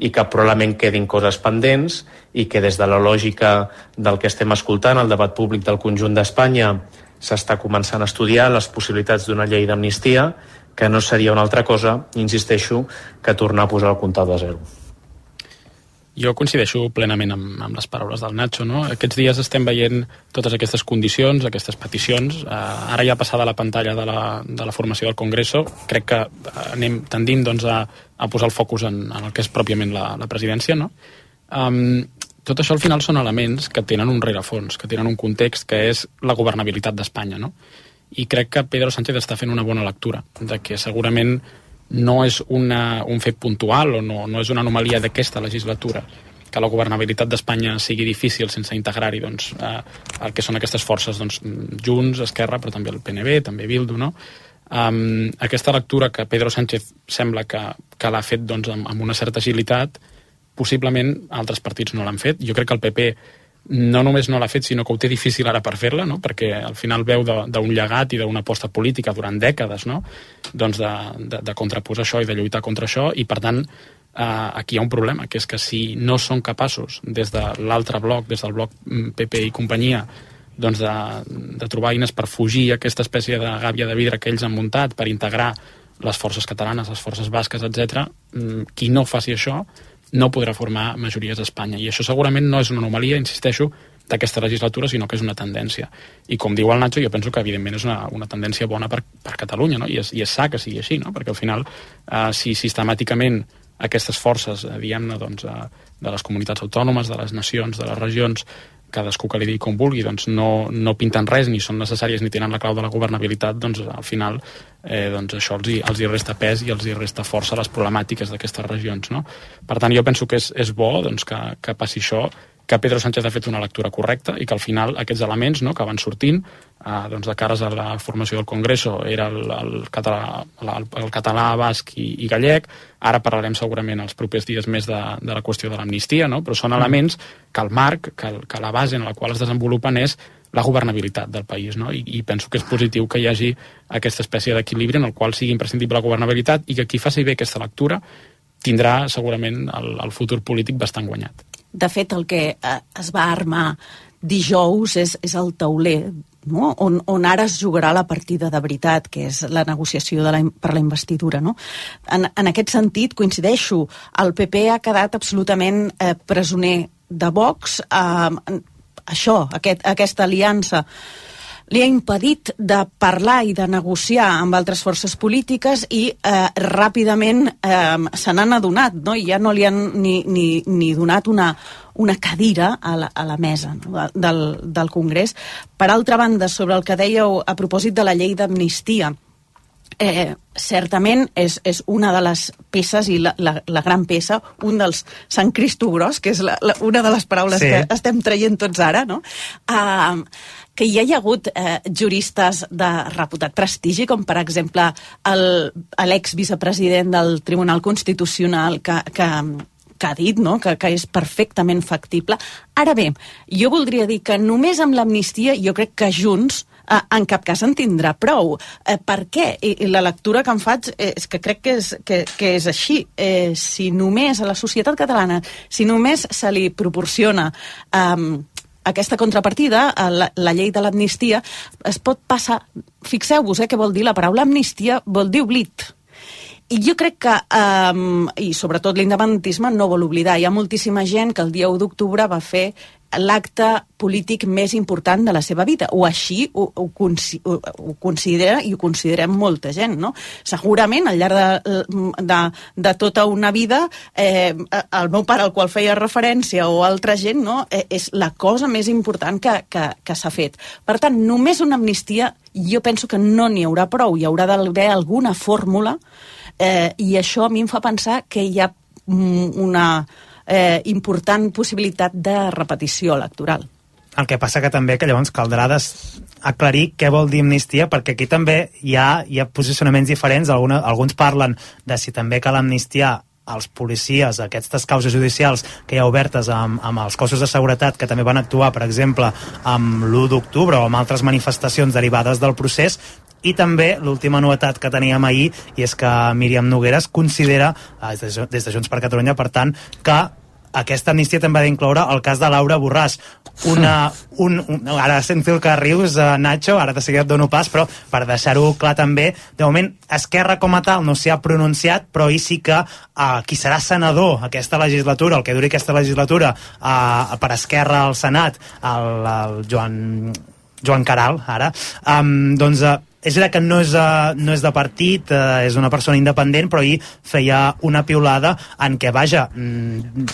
N: i que probablement quedin coses pendents i que des de la lògica del que estem escoltant, el debat públic del conjunt d'Espanya, s'està començant a estudiar les possibilitats d'una llei d'amnistia, que no seria una altra cosa, insisteixo, que tornar a posar el comptador a zero.
M: Jo coincideixo plenament amb les paraules del Nacho, no? Aquests dies estem veient totes aquestes condicions, aquestes peticions. Ara ja passada la pantalla de la formació del Congreso, crec que anem tendint doncs, a posar el focus en el que és pròpiament la presidència, no? Tot això al final són elements que tenen un rerefons, que tenen un context que és la governabilitat d'Espanya, no? I crec que Pedro Sánchez està fent una bona lectura, de que segurament no és un fet puntual o no és una anomalia d'aquesta legislatura que la governabilitat d'Espanya sigui difícil sense integrar-hi doncs, el que són aquestes forces, doncs, Junts, Esquerra, però també el PNB, també Bildu, no? Aquesta lectura que Pedro Sánchez sembla que l'ha fet doncs, amb una certa agilitat, possiblement altres partits no l'han fet. Jo crec que el PP no només no l'ha fet, sinó que ho té difícil ara per fer-la, no? Perquè al final veu d'un llegat i d'una aposta política durant dècades, no? Doncs de contraposar això i de lluitar contra això, i per tant aquí hi ha un problema, que és que si no són capaços des de l'altre bloc, des del bloc PP i companyia, doncs de trobar eines per fugir aquesta espècie de gàbia de vidre que ells han muntat per integrar les forces catalanes, les forces basques, etc., qui no faci això no podrà formar majories a Espanya. I això segurament no és una anomalia, insisteixo, d'aquesta legislatura, sinó que és una tendència. I com diu el Nacho, jo penso que evidentment és una tendència bona per Catalunya, no? I és sa que sigui així, no? Perquè al final, si sistemàticament aquestes forces, diguem-ne, doncs, de les comunitats autònomes, de les nacions, de les regions, cadascú que li digui com vulgui, doncs no pinten res, ni són necessàries, ni tenen la clau de la governabilitat, doncs al final doncs això els hi resta pes i els hi resta força a les problemàtiques d'aquestes regions, no? Per tant, jo penso que és bo doncs, que passi això, que Pedro Sánchez ha fet una lectura correcta i que al final aquests elements, no, que van sortint doncs de cares a la formació del Congreso era el català, basc i gallec. Ara parlarem segurament els propers dies més de la qüestió de l'amnistia, no? Però són elements que el marc, que la base en la qual es desenvolupen és la governabilitat del país, no? I penso que és positiu que hi hagi aquesta espècie d'equilibri en el qual sigui imprescindible la governabilitat i que qui faci bé aquesta lectura tindrà segurament el futur polític bastant guanyat.
L: De fet, el que es va armar dijous és el tauler, no? on ara es jugarà la partida de veritat, que és la negociació per la investidura. No? En aquest sentit, coincideixo, el PP ha quedat absolutament presoner de Vox. Aquesta aliança li ha impedit de parlar i de negociar amb altres forces polítiques i ràpidament se n'han adonat, no? I ja no li han ni donat una cadira a la mesa, no? del Congrés. Per altra banda, sobre el que dèieu a propòsit de la llei d'amnistia, certament és una de les peces i la gran peça, un dels Sant Cristo gros, que és una de les paraules que estem traient tots ara, no? Que hi ha hagut juristes de reputat prestigi, com per exemple l'ex-vicepresident del Tribunal Constitucional que ha dit, no? que és perfectament factible. Ara bé, jo voldria dir que només amb l'amnistia jo crec que Junts en cap cas en tindrà prou. Per què? I la lectura que em faig és que crec que és així. Si només a la societat catalana, si només se li proporciona aquesta contrapartida, la llei de l'amnistia, es pot passar... Fixeu-vos què vol dir la paraula amnistia, vol dir oblit. I jo crec que, i sobretot l'independentisme, no vol oblidar. Hi ha moltíssima gent que el dia 1 d'octubre va fer l'acte polític més important de la seva vida, o així ho considera, i ho considerem molta gent, no? Segurament, al llarg de tota una vida, el meu pare, al qual feia referència, o altra gent, no? És la cosa més important que s'ha fet. Per tant, només una amnistia, jo penso que no n'hi haurà prou, hi haurà d'haver alguna fórmula, i això a mi em fa pensar que hi ha una important possibilitat de repetició electoral.
A: El que passa que també que llavors caldrà aclarir què vol dir amnistia, perquè aquí també hi ha posicionaments diferents. Alguns parlen de si també cal amnistiar els policies, aquestes causes judicials que hi ha obertes amb els cossos de seguretat que també van actuar, per exemple, amb l'1 d'octubre o amb altres manifestacions derivades del procés, I també l'última novetat que teníem ahir, i és que Míriam Nogueras considera, des de Junts per Catalunya, per tant, que aquesta amnistia també ha d'incloure el cas de Laura Borràs. Ara sent fil que rius, Nacho, ara de seguida et dono pas, però per deixar-ho clar també, de moment Esquerra com a tal no s'hi ha pronunciat, però ahir sí que qui serà senador aquesta legislatura, el que duri aquesta legislatura, per Esquerra al Senat, el Joan Caral, ara, doncs és veritat que no és de partit, és una persona independent, però ahir feia una piulada en què, vaja,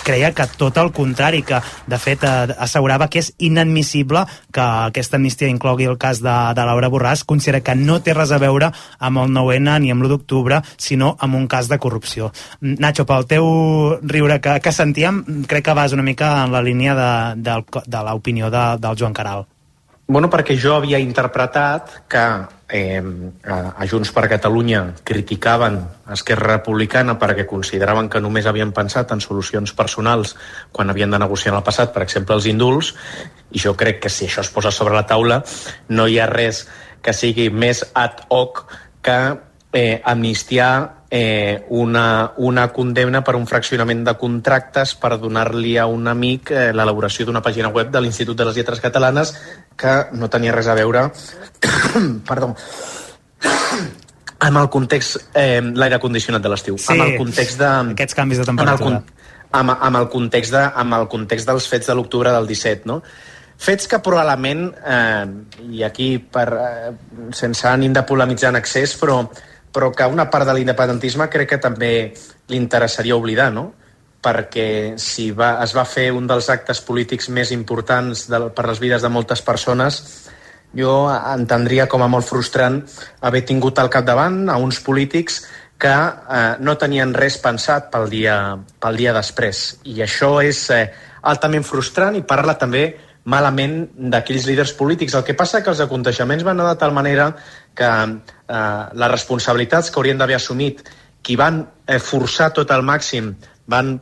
A: creia que tot el contrari, que de fet assegurava que és inadmissible que aquesta amnistia inclogui el cas de Laura Borràs, considera que no té res a veure amb el 9-N ni amb l'1 d'octubre, sinó amb un cas de corrupció. Nacho, pel teu riure que sentíem, crec que vas una mica en la línia de l'opinió del Joan Caral.
N: Bueno, perquè jo havia interpretat que a Junts per Catalunya criticaven Esquerra Republicana perquè consideraven que només havien pensat en solucions personals quan havien de negociar en el passat, per exemple, els indults, i jo crec que si això es posa sobre la taula no hi ha res que sigui més ad hoc que amnistiar una condemna per un fraccionament de contractes per donar-li a un amic l'elaboració d'una pàgina web de l'Institut de les Lletres Catalanes que no tenia res a veure perdó, amb el context l'aire condicionat de l'estiu,
A: sí, amb el context aquests canvis de temperatura,
N: amb el context dels fets de l'octubre del 17, no? Fets que probablement i aquí sense ànim de polemitzar en excés, però que una part de l'independentisme crec que també li interessaria oblidar, no? Perquè si es va fer un dels actes polítics més importants per les vides de moltes persones, jo entendria com a molt frustrant haver tingut al capdavant a uns polítics que no tenien res pensat pel dia després. I això és altament frustrant i parla també malament d'aquells líders polítics. El que passa que els aconteixements van anar de tal manera que les responsabilitats que haurien d'haver assumit qui van forçar tot al màxim, van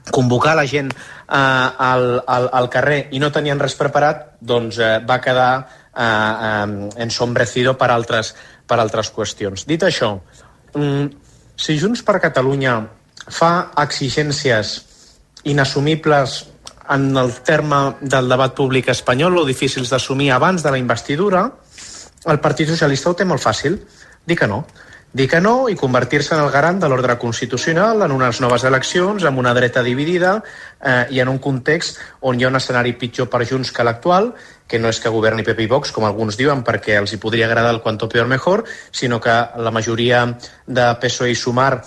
N: convocar la gent al carrer i no tenien res preparat, doncs va quedar ensombrecido per altres qüestions. Dit això, si Junts per Catalunya fa exigències inassumibles en el terme del debat públic espanyol o difícils d'assumir abans de la investidura, el Partit Socialista ho té molt fàcil. Dir que no i convertir-se en el garant de l'ordre constitucional en unes noves eleccions, amb una dreta dividida i en un context on hi ha un escenari pitjor per Junts que l'actual, que no és que governi PP i Vox, com alguns diuen, perquè els hi podria agradar el cuanto peor mejor, sinó que la majoria de PSOE i Sumar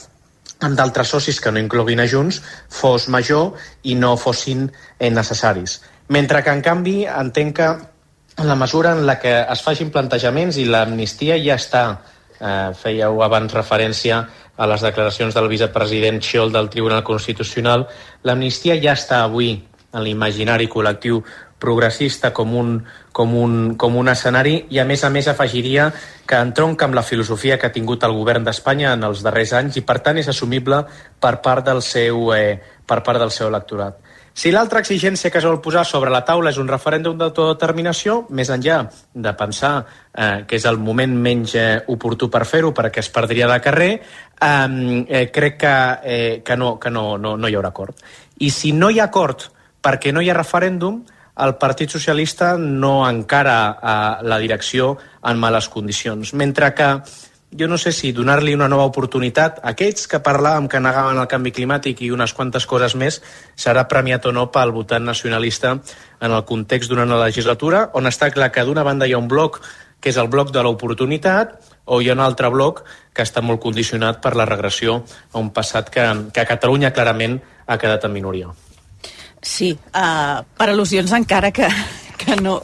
N: amb d'altres socis que no incloguin a Junts fos major i no fossin necessaris. Mentre que, en canvi, entenc que en la mesura en la que es facin plantejaments i l'amnistia ja està, fèieu abans referència a les declaracions del vicepresident Xiol del Tribunal Constitucional, l'amnistia ja està avui en l'imaginari col·lectiu progressista com un escenari i a més afegiria que entronca amb la filosofia que ha tingut el govern d'Espanya en els darrers anys i per tant és assumible per part del seu electorat. Si l'altra exigència que es vol posar sobre la taula és un referèndum d'autodeterminació, més enllà de pensar que és el moment menys oportú per fer-ho perquè es perdria de carrer, crec que no hi haurà acord. I si no hi ha acord perquè no hi ha referèndum, el Partit Socialista no encara la direcció en males condicions. Mentre que jo no sé si donar-li una nova oportunitat a aquests que parlàvem que negaven el canvi climàtic i unes quantes coses més serà premiat o no pel votant nacionalista en el context d'una legislatura on està clar que d'una banda hi ha un bloc que és el bloc de l'oportunitat o hi ha un altre bloc que està molt condicionat per la regressió a un passat que a Catalunya clarament ha quedat en minoria.
L: Sí, per al·lusions encara que no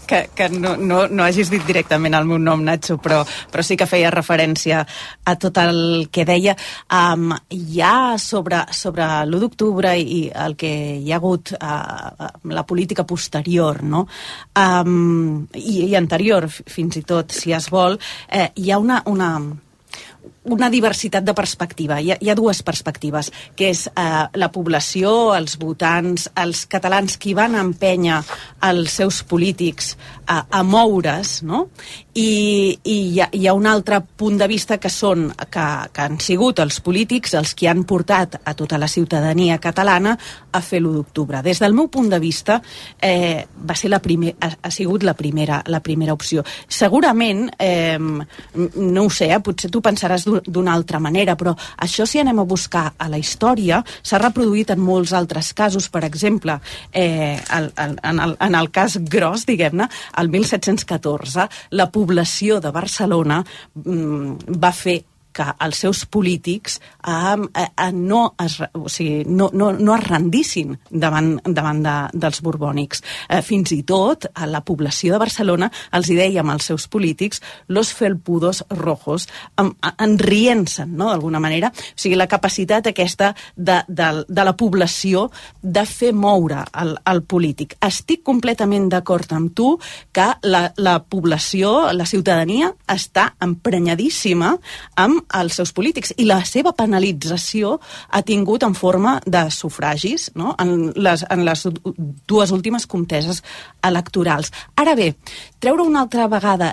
L: hagis dit directament el meu nom, Nacho, però sí que feia referència a tot el que deia. Ja sobre l'1 d'octubre i el que hi ha hagut la política posterior, no? I anterior, fins i tot, si es vol, hi ha una diversitat de perspectiva. Hi ha dues perspectives, que és la població, els votants, els catalans qui van empènyer els seus polítics a moure's, no? I hi ha un altre punt de vista que han sigut els polítics els que han portat a tota la ciutadania catalana a fer l'1 d'octubre. Des del meu punt de vista ha sigut la primera opció. Segurament, no ho sé, potser tu pensaràs d'una altra manera, però això, si anem a buscar a la història, s'ha reproduït en molts altres casos. Per exemple, en el cas gros, diguem-ne, el 1714, la població de Barcelona va fer que els seus polítics no es rendissin davant dels borbònics. Fins i tot a la població de Barcelona els hi dèiem als seus polítics los felpudos rojos, enrient-se'n, no?, d'alguna manera. O sigui, la capacitat aquesta de la població de fer moure el polític. Estic completament d'acord amb tu que la població, la ciutadania, està emprenyadíssima amb els seus polítics, i la seva penalització ha tingut en forma de sufragis, no?, en les dues últimes conteses electorals. Ara bé, treure una altra vegada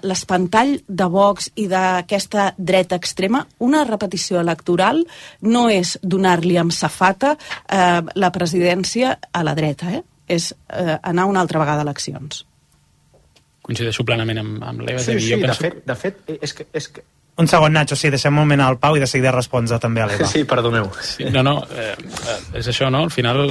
L: l'espantall de Vox i d'aquesta dreta extrema, una repetició electoral no és donar-li amb safata la presidència a la dreta, és anar una altra vegada a eleccions.
M: Coincideixo plenament amb l'Eva.
N: Sí, de fet, és que
A: un segon, Nacho, sí, deixem un moment al Pau i de seguida respondre també a l'Eva.
N: Sí, perdoneu.
M: Sí, és això, no? Al final,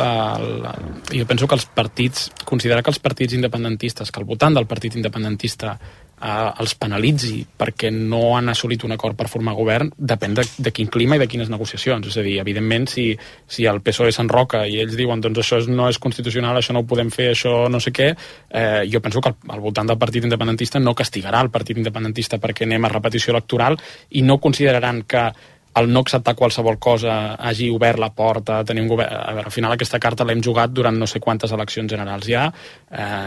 M: jo penso que els partits, considerar que els partits independentistes, que el votant del partit independentista els penalitzi perquè no han assolit un acord per formar govern, depèn de quin clima i de quines negociacions. És a dir, evidentment, si el PSOE s'enroca i ells diuen doncs això no és constitucional, això no ho podem fer, això no sé què, jo penso que el votant del partit independentista no castigarà el partit independentista perquè anem a repetició electoral i no consideraran que el no acceptar qualsevol cosa hagi obert la porta a tenir un govern. A veure, al final aquesta carta l'hem jugat durant no sé quantes eleccions generals ja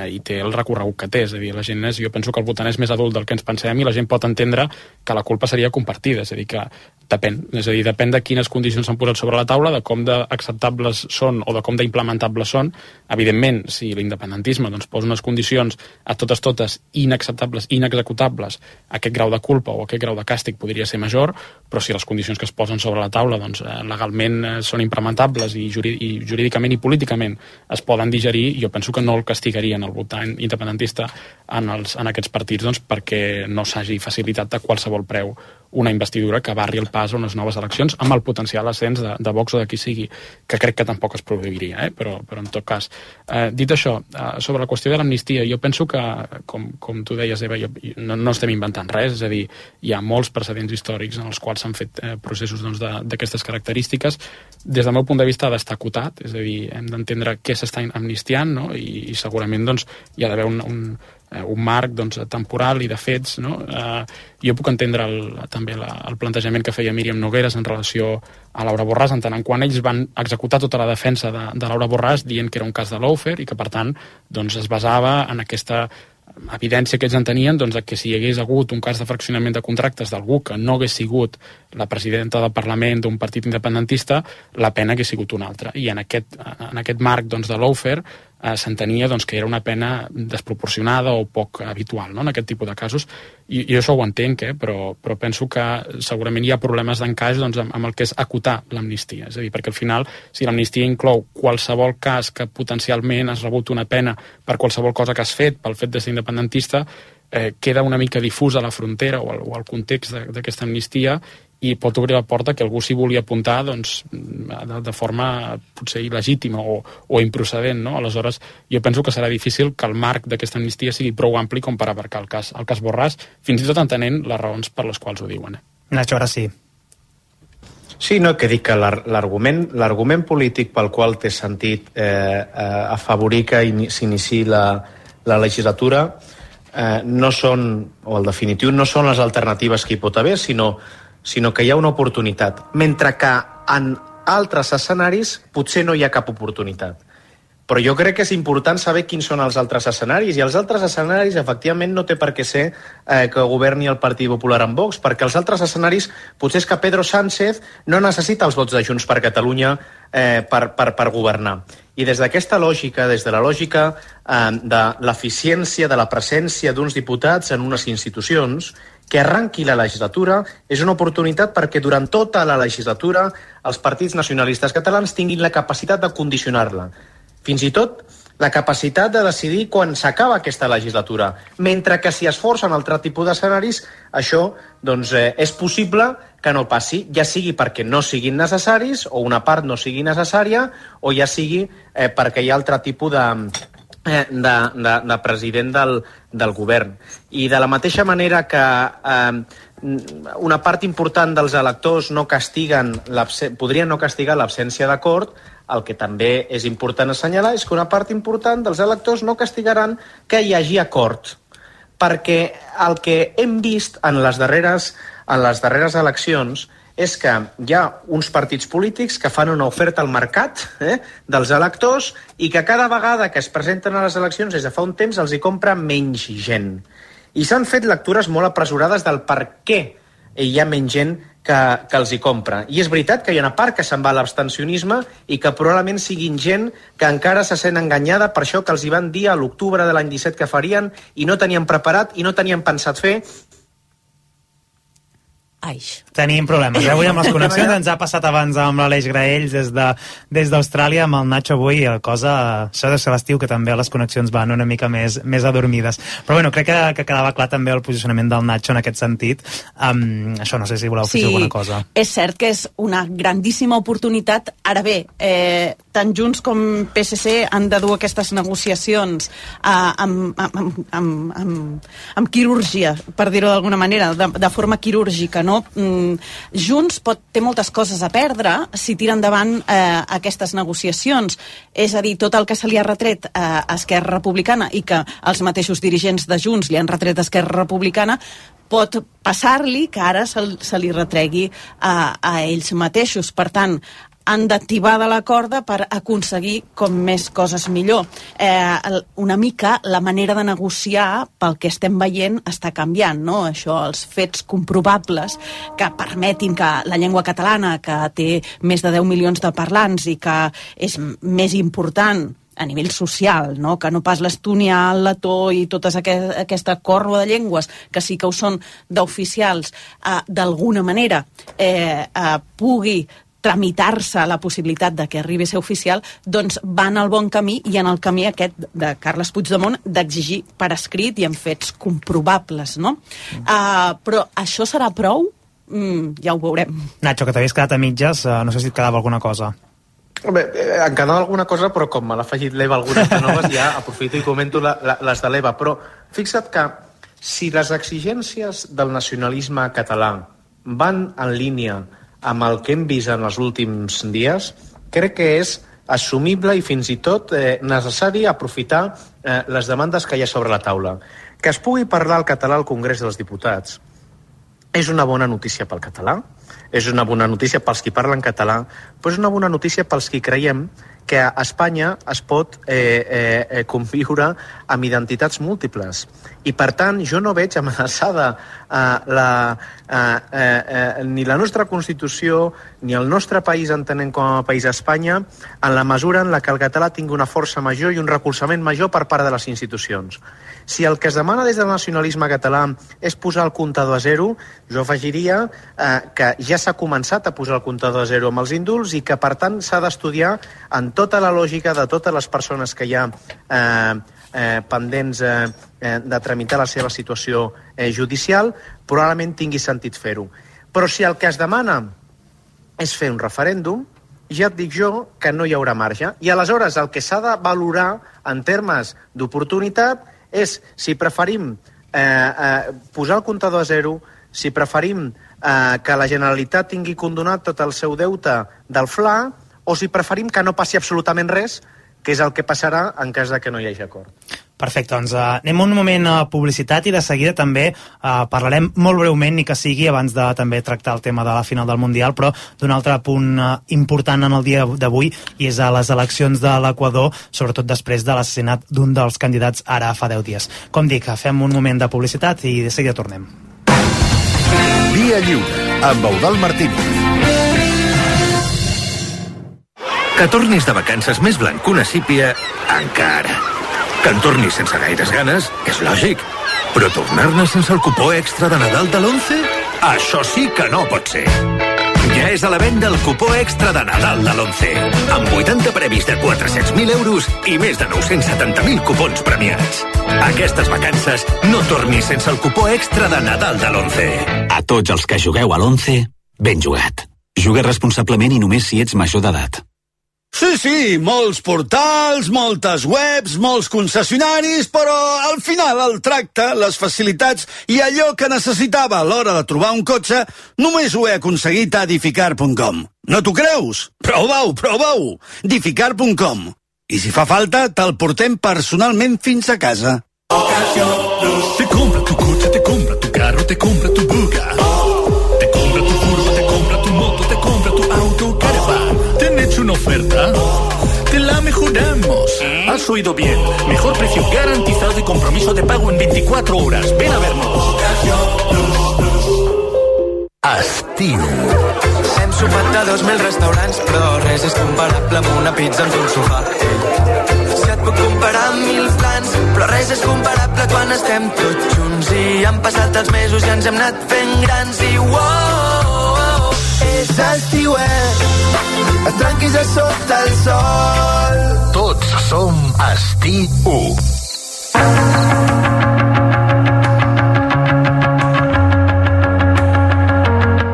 M: i té el recorregut que té. És a dir, la gent jo penso que el votant és més adult del que ens pensem i la gent pot entendre que la culpa seria compartida. És a dir, que depèn de quines condicions s'han posat sobre la taula, de com d'acceptables són o de com d'implementables són. Evidentment, si l'independentisme posa unes condicions a totes inacceptables, inexecutables, aquest grau de culpa o aquest grau de càstig podria ser major, però si les condicions que es posen sobre la taula legalment són implementables i jurídicament i políticament es poden digerir, jo penso que no el castigarien el votant independentista en aquests partits perquè no s'hagi facilitat a qualsevol preu una investidura que barri el pas a unes noves eleccions amb el potencial ascens de Vox o de qui sigui, que crec que tampoc es produiria, però en tot cas. Dit això, sobre la qüestió de l'amnistia, jo penso que, com tu deies, Eva, no estem inventant res, és a dir, hi ha molts precedents històrics en els quals s'han fet processos d'aquestes característiques. Des del meu punt de vista ha d'estar acotat, és a dir, hem d'entendre què s'està amnistiant, no? I segurament hi ha d'haver un marc temporal i de fets, no? Jo puc entendre també el plantejament que feia Míriam Nogueras en relació a Laura Borràs, en tant en quant ells van executar tota la defensa de Laura Borràs dient que era un cas de lawfare i que per tant es basava en aquesta evidència que ells en tenien que si hi hagués hagut un cas de fraccionament de contractes d'algú que no hagués sigut la presidenta del Parlament d'un partit independentista, la pena hagués sigut una altra. I en aquest marc de lawfare s'entenia que era una pena desproporcionada o poc habitual, no?, en aquest tipus de casos. I jo això ho entenc, però penso que segurament hi ha problemes d'encaix amb el que és acotar l'amnistia. És a dir, perquè al final, si l'amnistia inclou qualsevol cas que potencialment has rebut una pena per qualsevol cosa que has fet, pel fet de ser independentista, queda una mica difusa la frontera o el context d'aquesta amnistia i pot obrir la porta que algú s'hi vulgui apuntar de forma potser il·legítima o improcedent, no? Aleshores, jo penso que serà difícil que el marc d'aquesta amnistia sigui prou ampli com per abarcar el cas Borràs, fins i tot entenent les raons per les quals ho diuen.
A: Nacho, ara sí.
N: Sí, no, que dic que l'argument polític pel qual té sentit afavorir que s'iniciï la legislatura no són, o en definitiu, no són les alternatives que hi pot haver, sinó que hi ha una oportunitat, mentre que en altres escenaris potser no hi ha cap oportunitat. Però jo crec que és important saber quins són els altres escenaris, i els altres escenaris, efectivament, no té per què ser que governi el Partit Popular amb Vox, perquè els altres escenaris potser és que Pedro Sánchez no necessita els vots de Junts per Catalunya per governar. I des d'aquesta lògica, des de la lògica de l'eficiència de la presència d'uns diputats en unes institucions, que arranqui la legislatura és una oportunitat perquè durant tota la legislatura els partits nacionalistes catalans tinguin la capacitat de condicionar-la. Fins i tot la capacitat de decidir quan s'acaba aquesta legislatura. Mentre que si es forcen altre tipus d'escenaris, això és possible que no passi, ja sigui perquè no siguin necessaris, o una part no sigui necessària, o ja sigui perquè hi ha altre tipus de president del govern. I de la mateixa manera que una part important dels electors podrien no castigar l'absència d'acord, el que també és important assenyalar és que una part important dels electors no castigaran que hi hagi acord. Perquè el que hem vist en les darreres eleccions és que hi ha uns partits polítics que fan una oferta al mercat dels electors i que cada vegada que es presenten a les eleccions des de fa un temps els hi compra menys gent. I s'han fet lectures molt apresurades del per què hi ha menys gent que els hi compra. I és veritat que hi ha una part que se'n va a l'abstencionisme i que probablement siguin gent que encara se sent enganyada per això que els hi van dir a l'octubre de l'any 17 que farien i no tenien preparat i no tenien pensat fer.
A: Tenim problemes. Avui amb les connexions ens ha passat abans amb l'Aleix Graells des d'Austràlia, amb el Nacho avui, això de ser l'estiu, que també les connexions van una mica més adormides. Però bueno, crec que quedava clar també el posicionament del Nacho en aquest sentit. Això no sé si voleu fer alguna cosa.
L: És cert que és una grandíssima oportunitat. Ara bé, tant Junts com PSC han de dur aquestes negociacions amb quirúrgia, per dir-ho d'alguna manera, de forma quirúrgica, no? Junts té moltes coses a perdre si tira endavant aquestes negociacions. És a dir, tot el que se li ha retret a Esquerra Republicana i que els mateixos dirigents de Junts li han retret a Esquerra Republicana pot passar-li que ara se li retregui a ells mateixos. Per tant, han d'activar de la corda per aconseguir com més coses millor. Una mica la manera de negociar, pel que estem veient, està canviant, no? Això, els fets comprovables que permetin que la llengua catalana, que té més de 10 milions de parlants i que és més important a nivell social, no? Que no pas l'estonià, el letó i tota aquesta corba de llengües que sí que ho són d'oficials, d'alguna manera pugui tramitar-se la possibilitat de que arribi a ser oficial, doncs van al bon camí i en el camí aquest de Carles Puigdemont d'exigir per escrit i en fets comprovables, no? Però això serà prou? Ja ho veurem.
A: Nacho, que t'havies quedat a mitges, no sé si et quedava alguna cosa.
N: Bé, em quedava alguna cosa, però com me l'ha afegit l'Eva algunes de noves, ja aprofito i comento les de l'Eva. Però fixa't que si les exigències del nacionalisme català van en línia amb el que hem vist en els últims dies, crec que és assumible i fins i tot necessari aprofitar les demandes que hi ha sobre la taula. Que es pugui parlar el català al Congrés dels Diputats és una bona notícia pel català, és una bona notícia pels qui parlen català, però és una bona notícia pels qui creiem que a Espanya es pot conviure amb identitats múltiples. I, per tant, jo no veig amenaçada ni la nostra Constitució ni el nostre país, entenent com a país Espanya, en la mesura en la que el català tingui una força major i un recolzament major per part de les institucions. Si el que es demana des del nacionalisme català és posar el comptador a zero, jo afegiria que ja s'ha començat a posar el comptador a zero amb els indults i que, per tant, s'ha d'estudiar en tota la lògica de totes les persones que hi ha pendents de tramitar la seva situació judicial, probablement tingui sentit fer-ho. Però si el que es demana és fer un referèndum, ja et dic jo que no hi haurà marge. I aleshores el que s'ha de valorar en termes d'oportunitat és si preferim posar el comptador a zero, si preferim que la Generalitat tingui condonat tot el seu deute del FLA, o si preferim que no passi absolutament res, que és el que passarà en cas de que no hi hagi acord.
A: Perfecte, doncs anem un moment a publicitat i de seguida també parlarem molt breument, ni que sigui abans de també tractar el tema de la final del Mundial, però d'un altre punt important en el dia d'avui, i és a les eleccions de l'Equador, sobretot després de l'assassinat d'un dels candidats ara fa 10 dies. Com dic, fem un moment de publicitat i de seguida tornem.
Q: Via Lliure, amb Eudald Martínez. Que tornis de vacances més blanc que una sípia, encara. Que en tornis sense gaires ganes, és lògic. Però tornar-ne sense el cupó extra de Nadal de l'11? Això sí que no pot ser. Ja és a la venda el cupó extra de Nadal de l'11, amb 80 premis de 400.000 euros i més de 970.000 cupons premiats. Aquestes vacances no tornis sense el cupó extra de Nadal de l'11.
R: A tots els que jugueu a l'11, ben jugat. Juga responsablement i només si ets major d'edat.
S: Sí, molts portals, moltes webs, molts concessionaris, però al final el tracte, les facilitats i allò que necessitava a l'hora de trobar un cotxe només ho he aconseguit a Dificar.com. No t'ho creus? Prova-ho! Dificar.com. I si fa falta, te'l portem personalment fins a casa.
T: Te compra tu coche, te compra tu carro, te compra tu buga. Te compra tu furgo, te compra tu moto, te compra tu auto, caravan. ¿Te han hecho una oferta? Te la mejoramos. Has oído bien. Mejor precio garantizado y compromiso de pago en 24 horas. Ven a vernos.
Q: Estiu.
U: Hem sopat de 2.000 restaurants, però res és comparable amb una pizza amb un sofà. Si et puc comparar amb 1.000 plans, però res és comparable quan estem tots junts. I han passat els mesos i ens hem anat fent grans i uau, és estiuet, et tranquis a sota el sol.
Q: Tots som Estiu.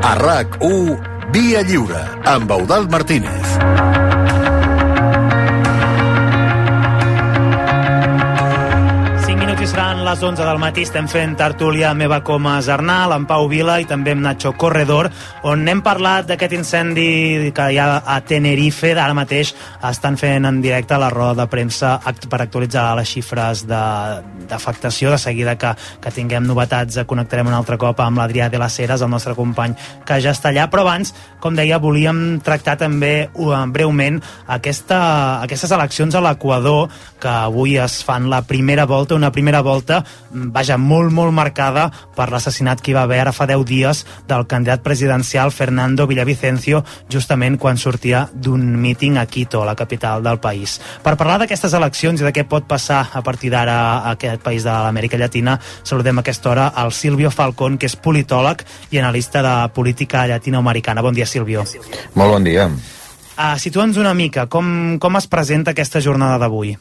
Q: A RAC1, Via Lliure, amb Eudald Martínez.
A: Seran les 11 del matí, estem fent tertúlia Meva Comas Arnal, amb Pau Vila i també amb Nacho Corredor, on hem parlat d'aquest incendi que hi ha a Tenerife. Ara mateix estan fent en directe la roda de premsa per actualitzar les xifres d'afectació. De seguida que tinguem novetats connectarem un altre cop amb l'Adrià de las Heras, el nostre company que ja està allà, però abans, com deia, volíem tractar també breument aquestes eleccions a l'Equador, que avui es fan la primera volta, una primera volta, vaja, molt marcada per l'assassinat que hi va haver ara fa 10 dies del candidat presidencial Fernando Villavicencio, justament quan sortia d'un míting a Quito, la capital del país. Per parlar d'aquestes eleccions i de què pot passar a partir d'ara a aquest país de l'Amèrica Llatina, saludem a aquesta hora al Silvio Falcón, que és politòleg i analista de política llatinoamericana. Bon dia, Silvio.
V: Molt bon dia.
A: Situa'ns una mica, com es presenta aquesta jornada d'avui?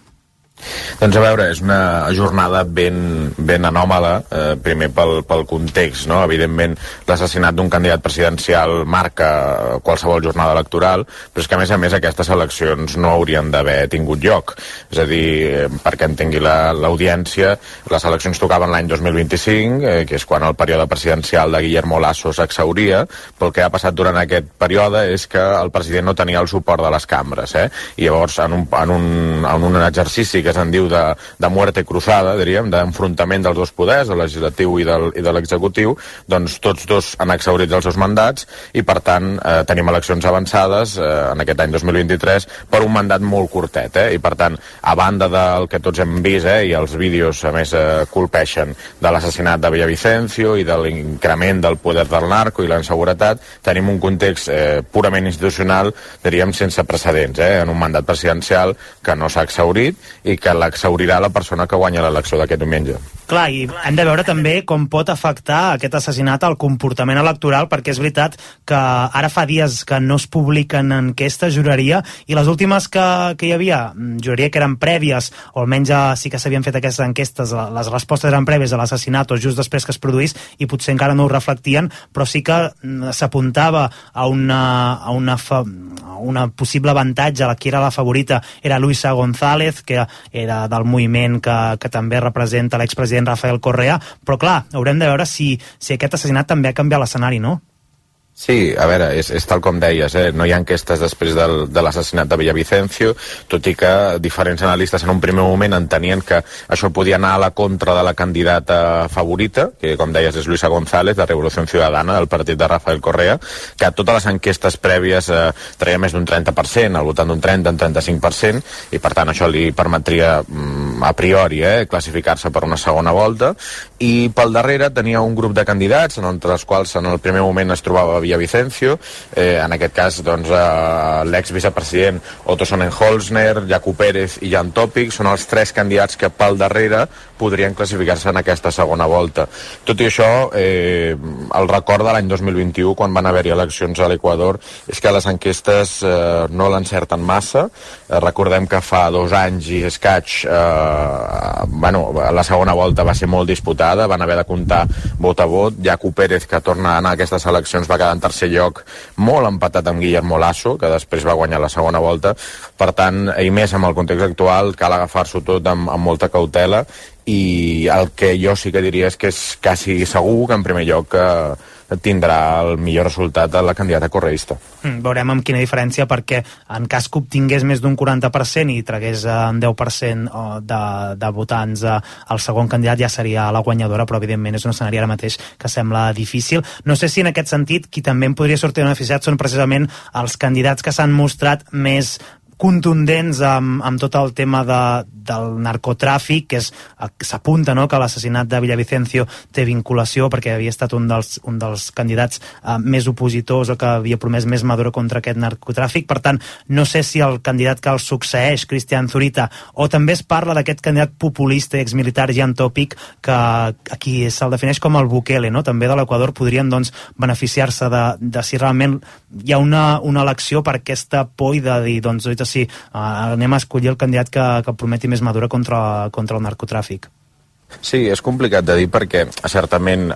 V: Doncs a veure, és una jornada ben anòmala, primer pel context, no? Evidentment l'assassinat d'un candidat presidencial marca qualsevol jornada electoral, però és que a més aquestes eleccions no haurien d'haver tingut lloc. És a dir, perquè entengui l'audiència, les eleccions tocaven l'any 2025, que és quan el període presidencial de Guillermo Lasso s'exhauria, però el que ha passat durant aquest període és que el president no tenia el suport de les cambres, i llavors en un exercici que se'n diu de muerte cruzada, diríem, d'enfrontament dels dos poders, el legislatiu i de l'executiu, doncs tots dos han exhaurit els seus mandats i per tant tenim eleccions avançades en aquest any 2023 per un mandat molt curtet, i per tant, a banda del que tots hem vist, i els vídeos a més colpeixen de l'assassinat de Villavicencio i de l'increment del poder del narco i la inseguretat, tenim un context purament institucional, diríem, sense precedents, en un mandat presidencial que no s'ha exhaurit i que l'exhaurirà la persona que guanya l'elecció d'aquest diumenge.
A: Clar, i hem de veure també com pot afectar aquest assassinat al comportament electoral, perquè és veritat que ara fa dies que no es publiquen enquestes, juraria, i les últimes que hi havia, juraria que eren prèvies, o almenys sí que s'havien fet aquestes enquestes, les respostes eren prèvies a l'assassinat o just després que es produís, i potser encara no ho reflectien, però sí que s'apuntava a una possible avantatge, la que era la favorita era Luisa González, que era del moviment que també representa l'expresident Rafael Correa, però clar, haurem de veure si aquest assassinat també ha canviat l'escenari, no?
V: Sí, a veure, és tal com deies, no hi ha enquestes després de l'assassinat de Villavicencio, tot i que diferents analistes en un primer moment entenien que això podia anar a la contra de la candidata favorita, que com deies és Luisa González, de Revolució Ciudadana, del partit de Rafael Correa, que a totes les enquestes prèvies traia més d'un 30%, al voltant d'un 30, un 35%, i per tant això li permetria a priori classificar-se per una segona volta, i pel darrere tenia un grup de candidats, entre els quals en el primer moment es trobava Villavicencio, en aquest cas doncs, l'ex-vicepresident Otto Sonnenholzner, Jakub Pérez i Jan Topic són els 3 candidats que pel darrere podrien classificar-se en aquesta segona volta. Tot i això, el record de l'any 2021, quan van haver-hi eleccions a l'Equador, és que les enquestes no l'encerten massa. Recordem que fa 2 anys i escaig la segona volta va ser molt disputada, van haver de comptar vot a vot. Jakub Pérez, que torna a anar a aquestes eleccions, va quedar en tercer lloc, molt empatat amb Guillermo Lasso, que després va guanyar la segona volta. Per tant, i més amb el context actual, cal agafar-s'ho tot amb molta cautela, i el que jo sí que diria és que és quasi segur que en primer lloc tindrà el millor resultat de la candidata correísta.
A: Veurem amb quina diferència, perquè en cas que obtingués més d'un 40% i tragués un 10% de votants el segon candidat, ja seria la guanyadora, però evidentment és un escenari ara mateix que sembla difícil. No sé si en aquest sentit qui també en podria sortir beneficiat són precisament els candidats que s'han mostrat més contundents amb tot el tema del narcotràfic, que s'apunta que l'assassinat de Villavicencio té vinculació perquè havia estat un dels candidats més opositors o que havia promès més Maduro contra aquest narcotràfic. Per tant, no sé si el candidat que el succeeix, Cristian Zurita, o també es parla d'aquest candidat populista i exmilitar Jan Topic, que aquí se'l defineix com el Bukele, també de l'Equador, podrien beneficiar-se de si realment hi ha una elecció per aquesta por i de dir, doncs, sí, anem a escollir el candidat que prometi més Maduro contra el narcotràfic.
V: Sí, és complicat de dir perquè certament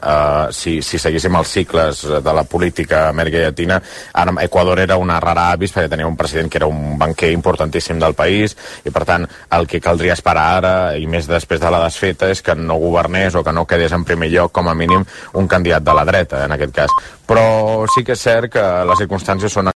V: si seguíssim els cicles de la política a Amèrica Llatina, ara Equador era una rara avis perquè tenia un president que era un banquer importantíssim del país i per tant el que caldria esperar ara i més després de la desfeta és que no governés o que no quedés en primer lloc com a mínim un candidat de la dreta en aquest cas, però sí que és cert que les circumstàncies són